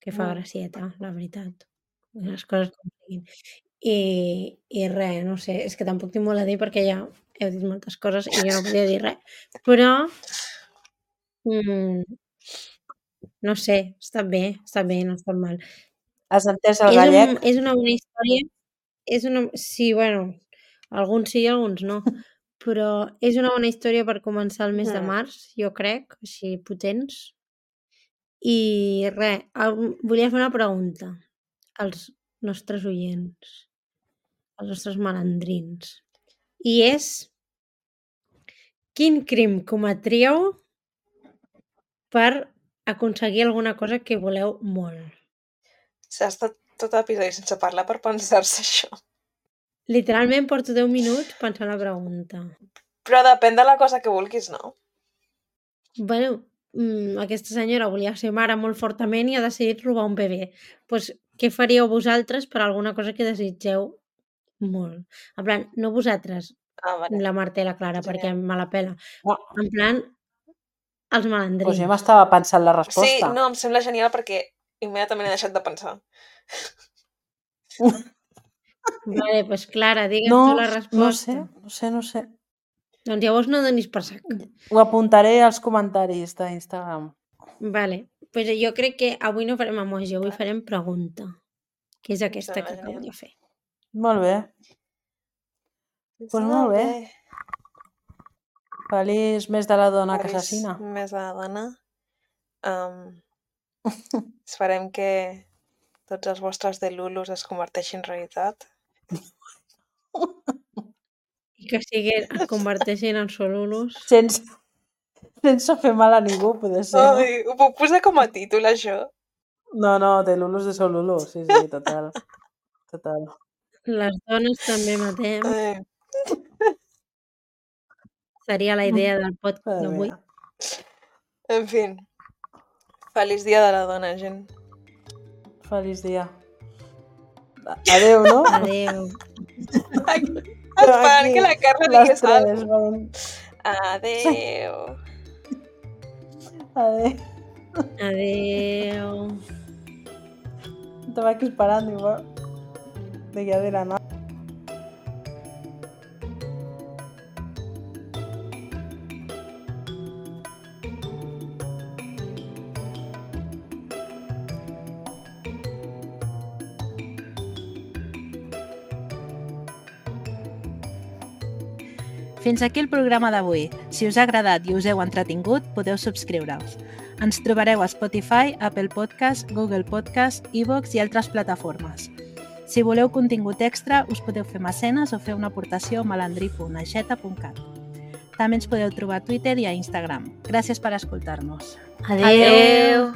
que fa Mm. gracieta, la veritat. Les coses com siguin. I, i res, no sé, és que tampoc tinc molt a dir perquè ja heu dit moltes coses i jo no podia dir res. Però, mm, no sé, està bé, està bé, no està mal. Has entès el És, un, gallec? és una bona història. És una... Sí, bueno, alguns sí i alguns no. Però és una bona història per començar el mes de Mm. març, jo crec, així potents. I res, el- volia fer una pregunta als nostres oients, als nostres malandrins. I és, quin crim cometríeu per aconseguir alguna cosa que voleu molt? S'ha estat tot l'episodi sense parlar per pensar-se això. Literalment porto deu minuts pensant la pregunta. Però depèn de la cosa que vulguis, no? Bueno, mm, aquesta senyora volia ser mare molt fortament i ha decidit robar un bebè. Pues, què faríeu vosaltres per alguna cosa que desitgeu molt? En plan, no vosaltres, Ah, vale. la Marta i la Clara, Genial. perquè me la pela. No, En plan, els doncs jo malandrins. m'estava pensant la Sí, resposta. no, em sembla genial perquè immediatament he deixat de pensar. Vale, pues Clara, digues No, tu la no resposta. sé, no sé, no sé. Doncs llavors no donis per sac. Ho apuntaré als comentaris d'Instagram. Vale, pues jo crec que avui no farem emoji, avui farem pregunta, que és aquesta sembla que acabo genial. de fer. Molt bé. Pues molt bé. Feliç mes de la dona que Feliç assassina. mes de la dona. Um, esperem que tots els vostres delulus es converteixin en realitat. I que siguin, es converteixin en solulos. Sense, sense fer mal a ningú, poder ser, no? Ai, ho puc posar com a títol, això? No, no, de Lulus de Solulus, sí, sí, total. Total. Les dones també matem. Ai, Seria la idea del podcast Madre d'avui. mía. en fi. Feliç dia de la dona, gent. Feliç dia. Adéu, no? Adéu. Esperant que la Carla les digués tres, alguna van. cosa. Adéu. Adéu. Adéu. Estaba aquí esperando igual. De ya de la nada. Fins aquí el programa d'avui. Si us ha agradat i us heu entretingut, podeu subscriure-us. Ens trobareu a Spotify, Apple Podcast, Google Podcast, iVoox i altres plataformes. Si voleu contingut extra, us podeu fer mecenes o fer una aportació a malandrí punt aixeta punt cat. També ens podeu trobar a Twitter i a Instagram. Gràcies per escoltar-nos. Adéu. Adéu.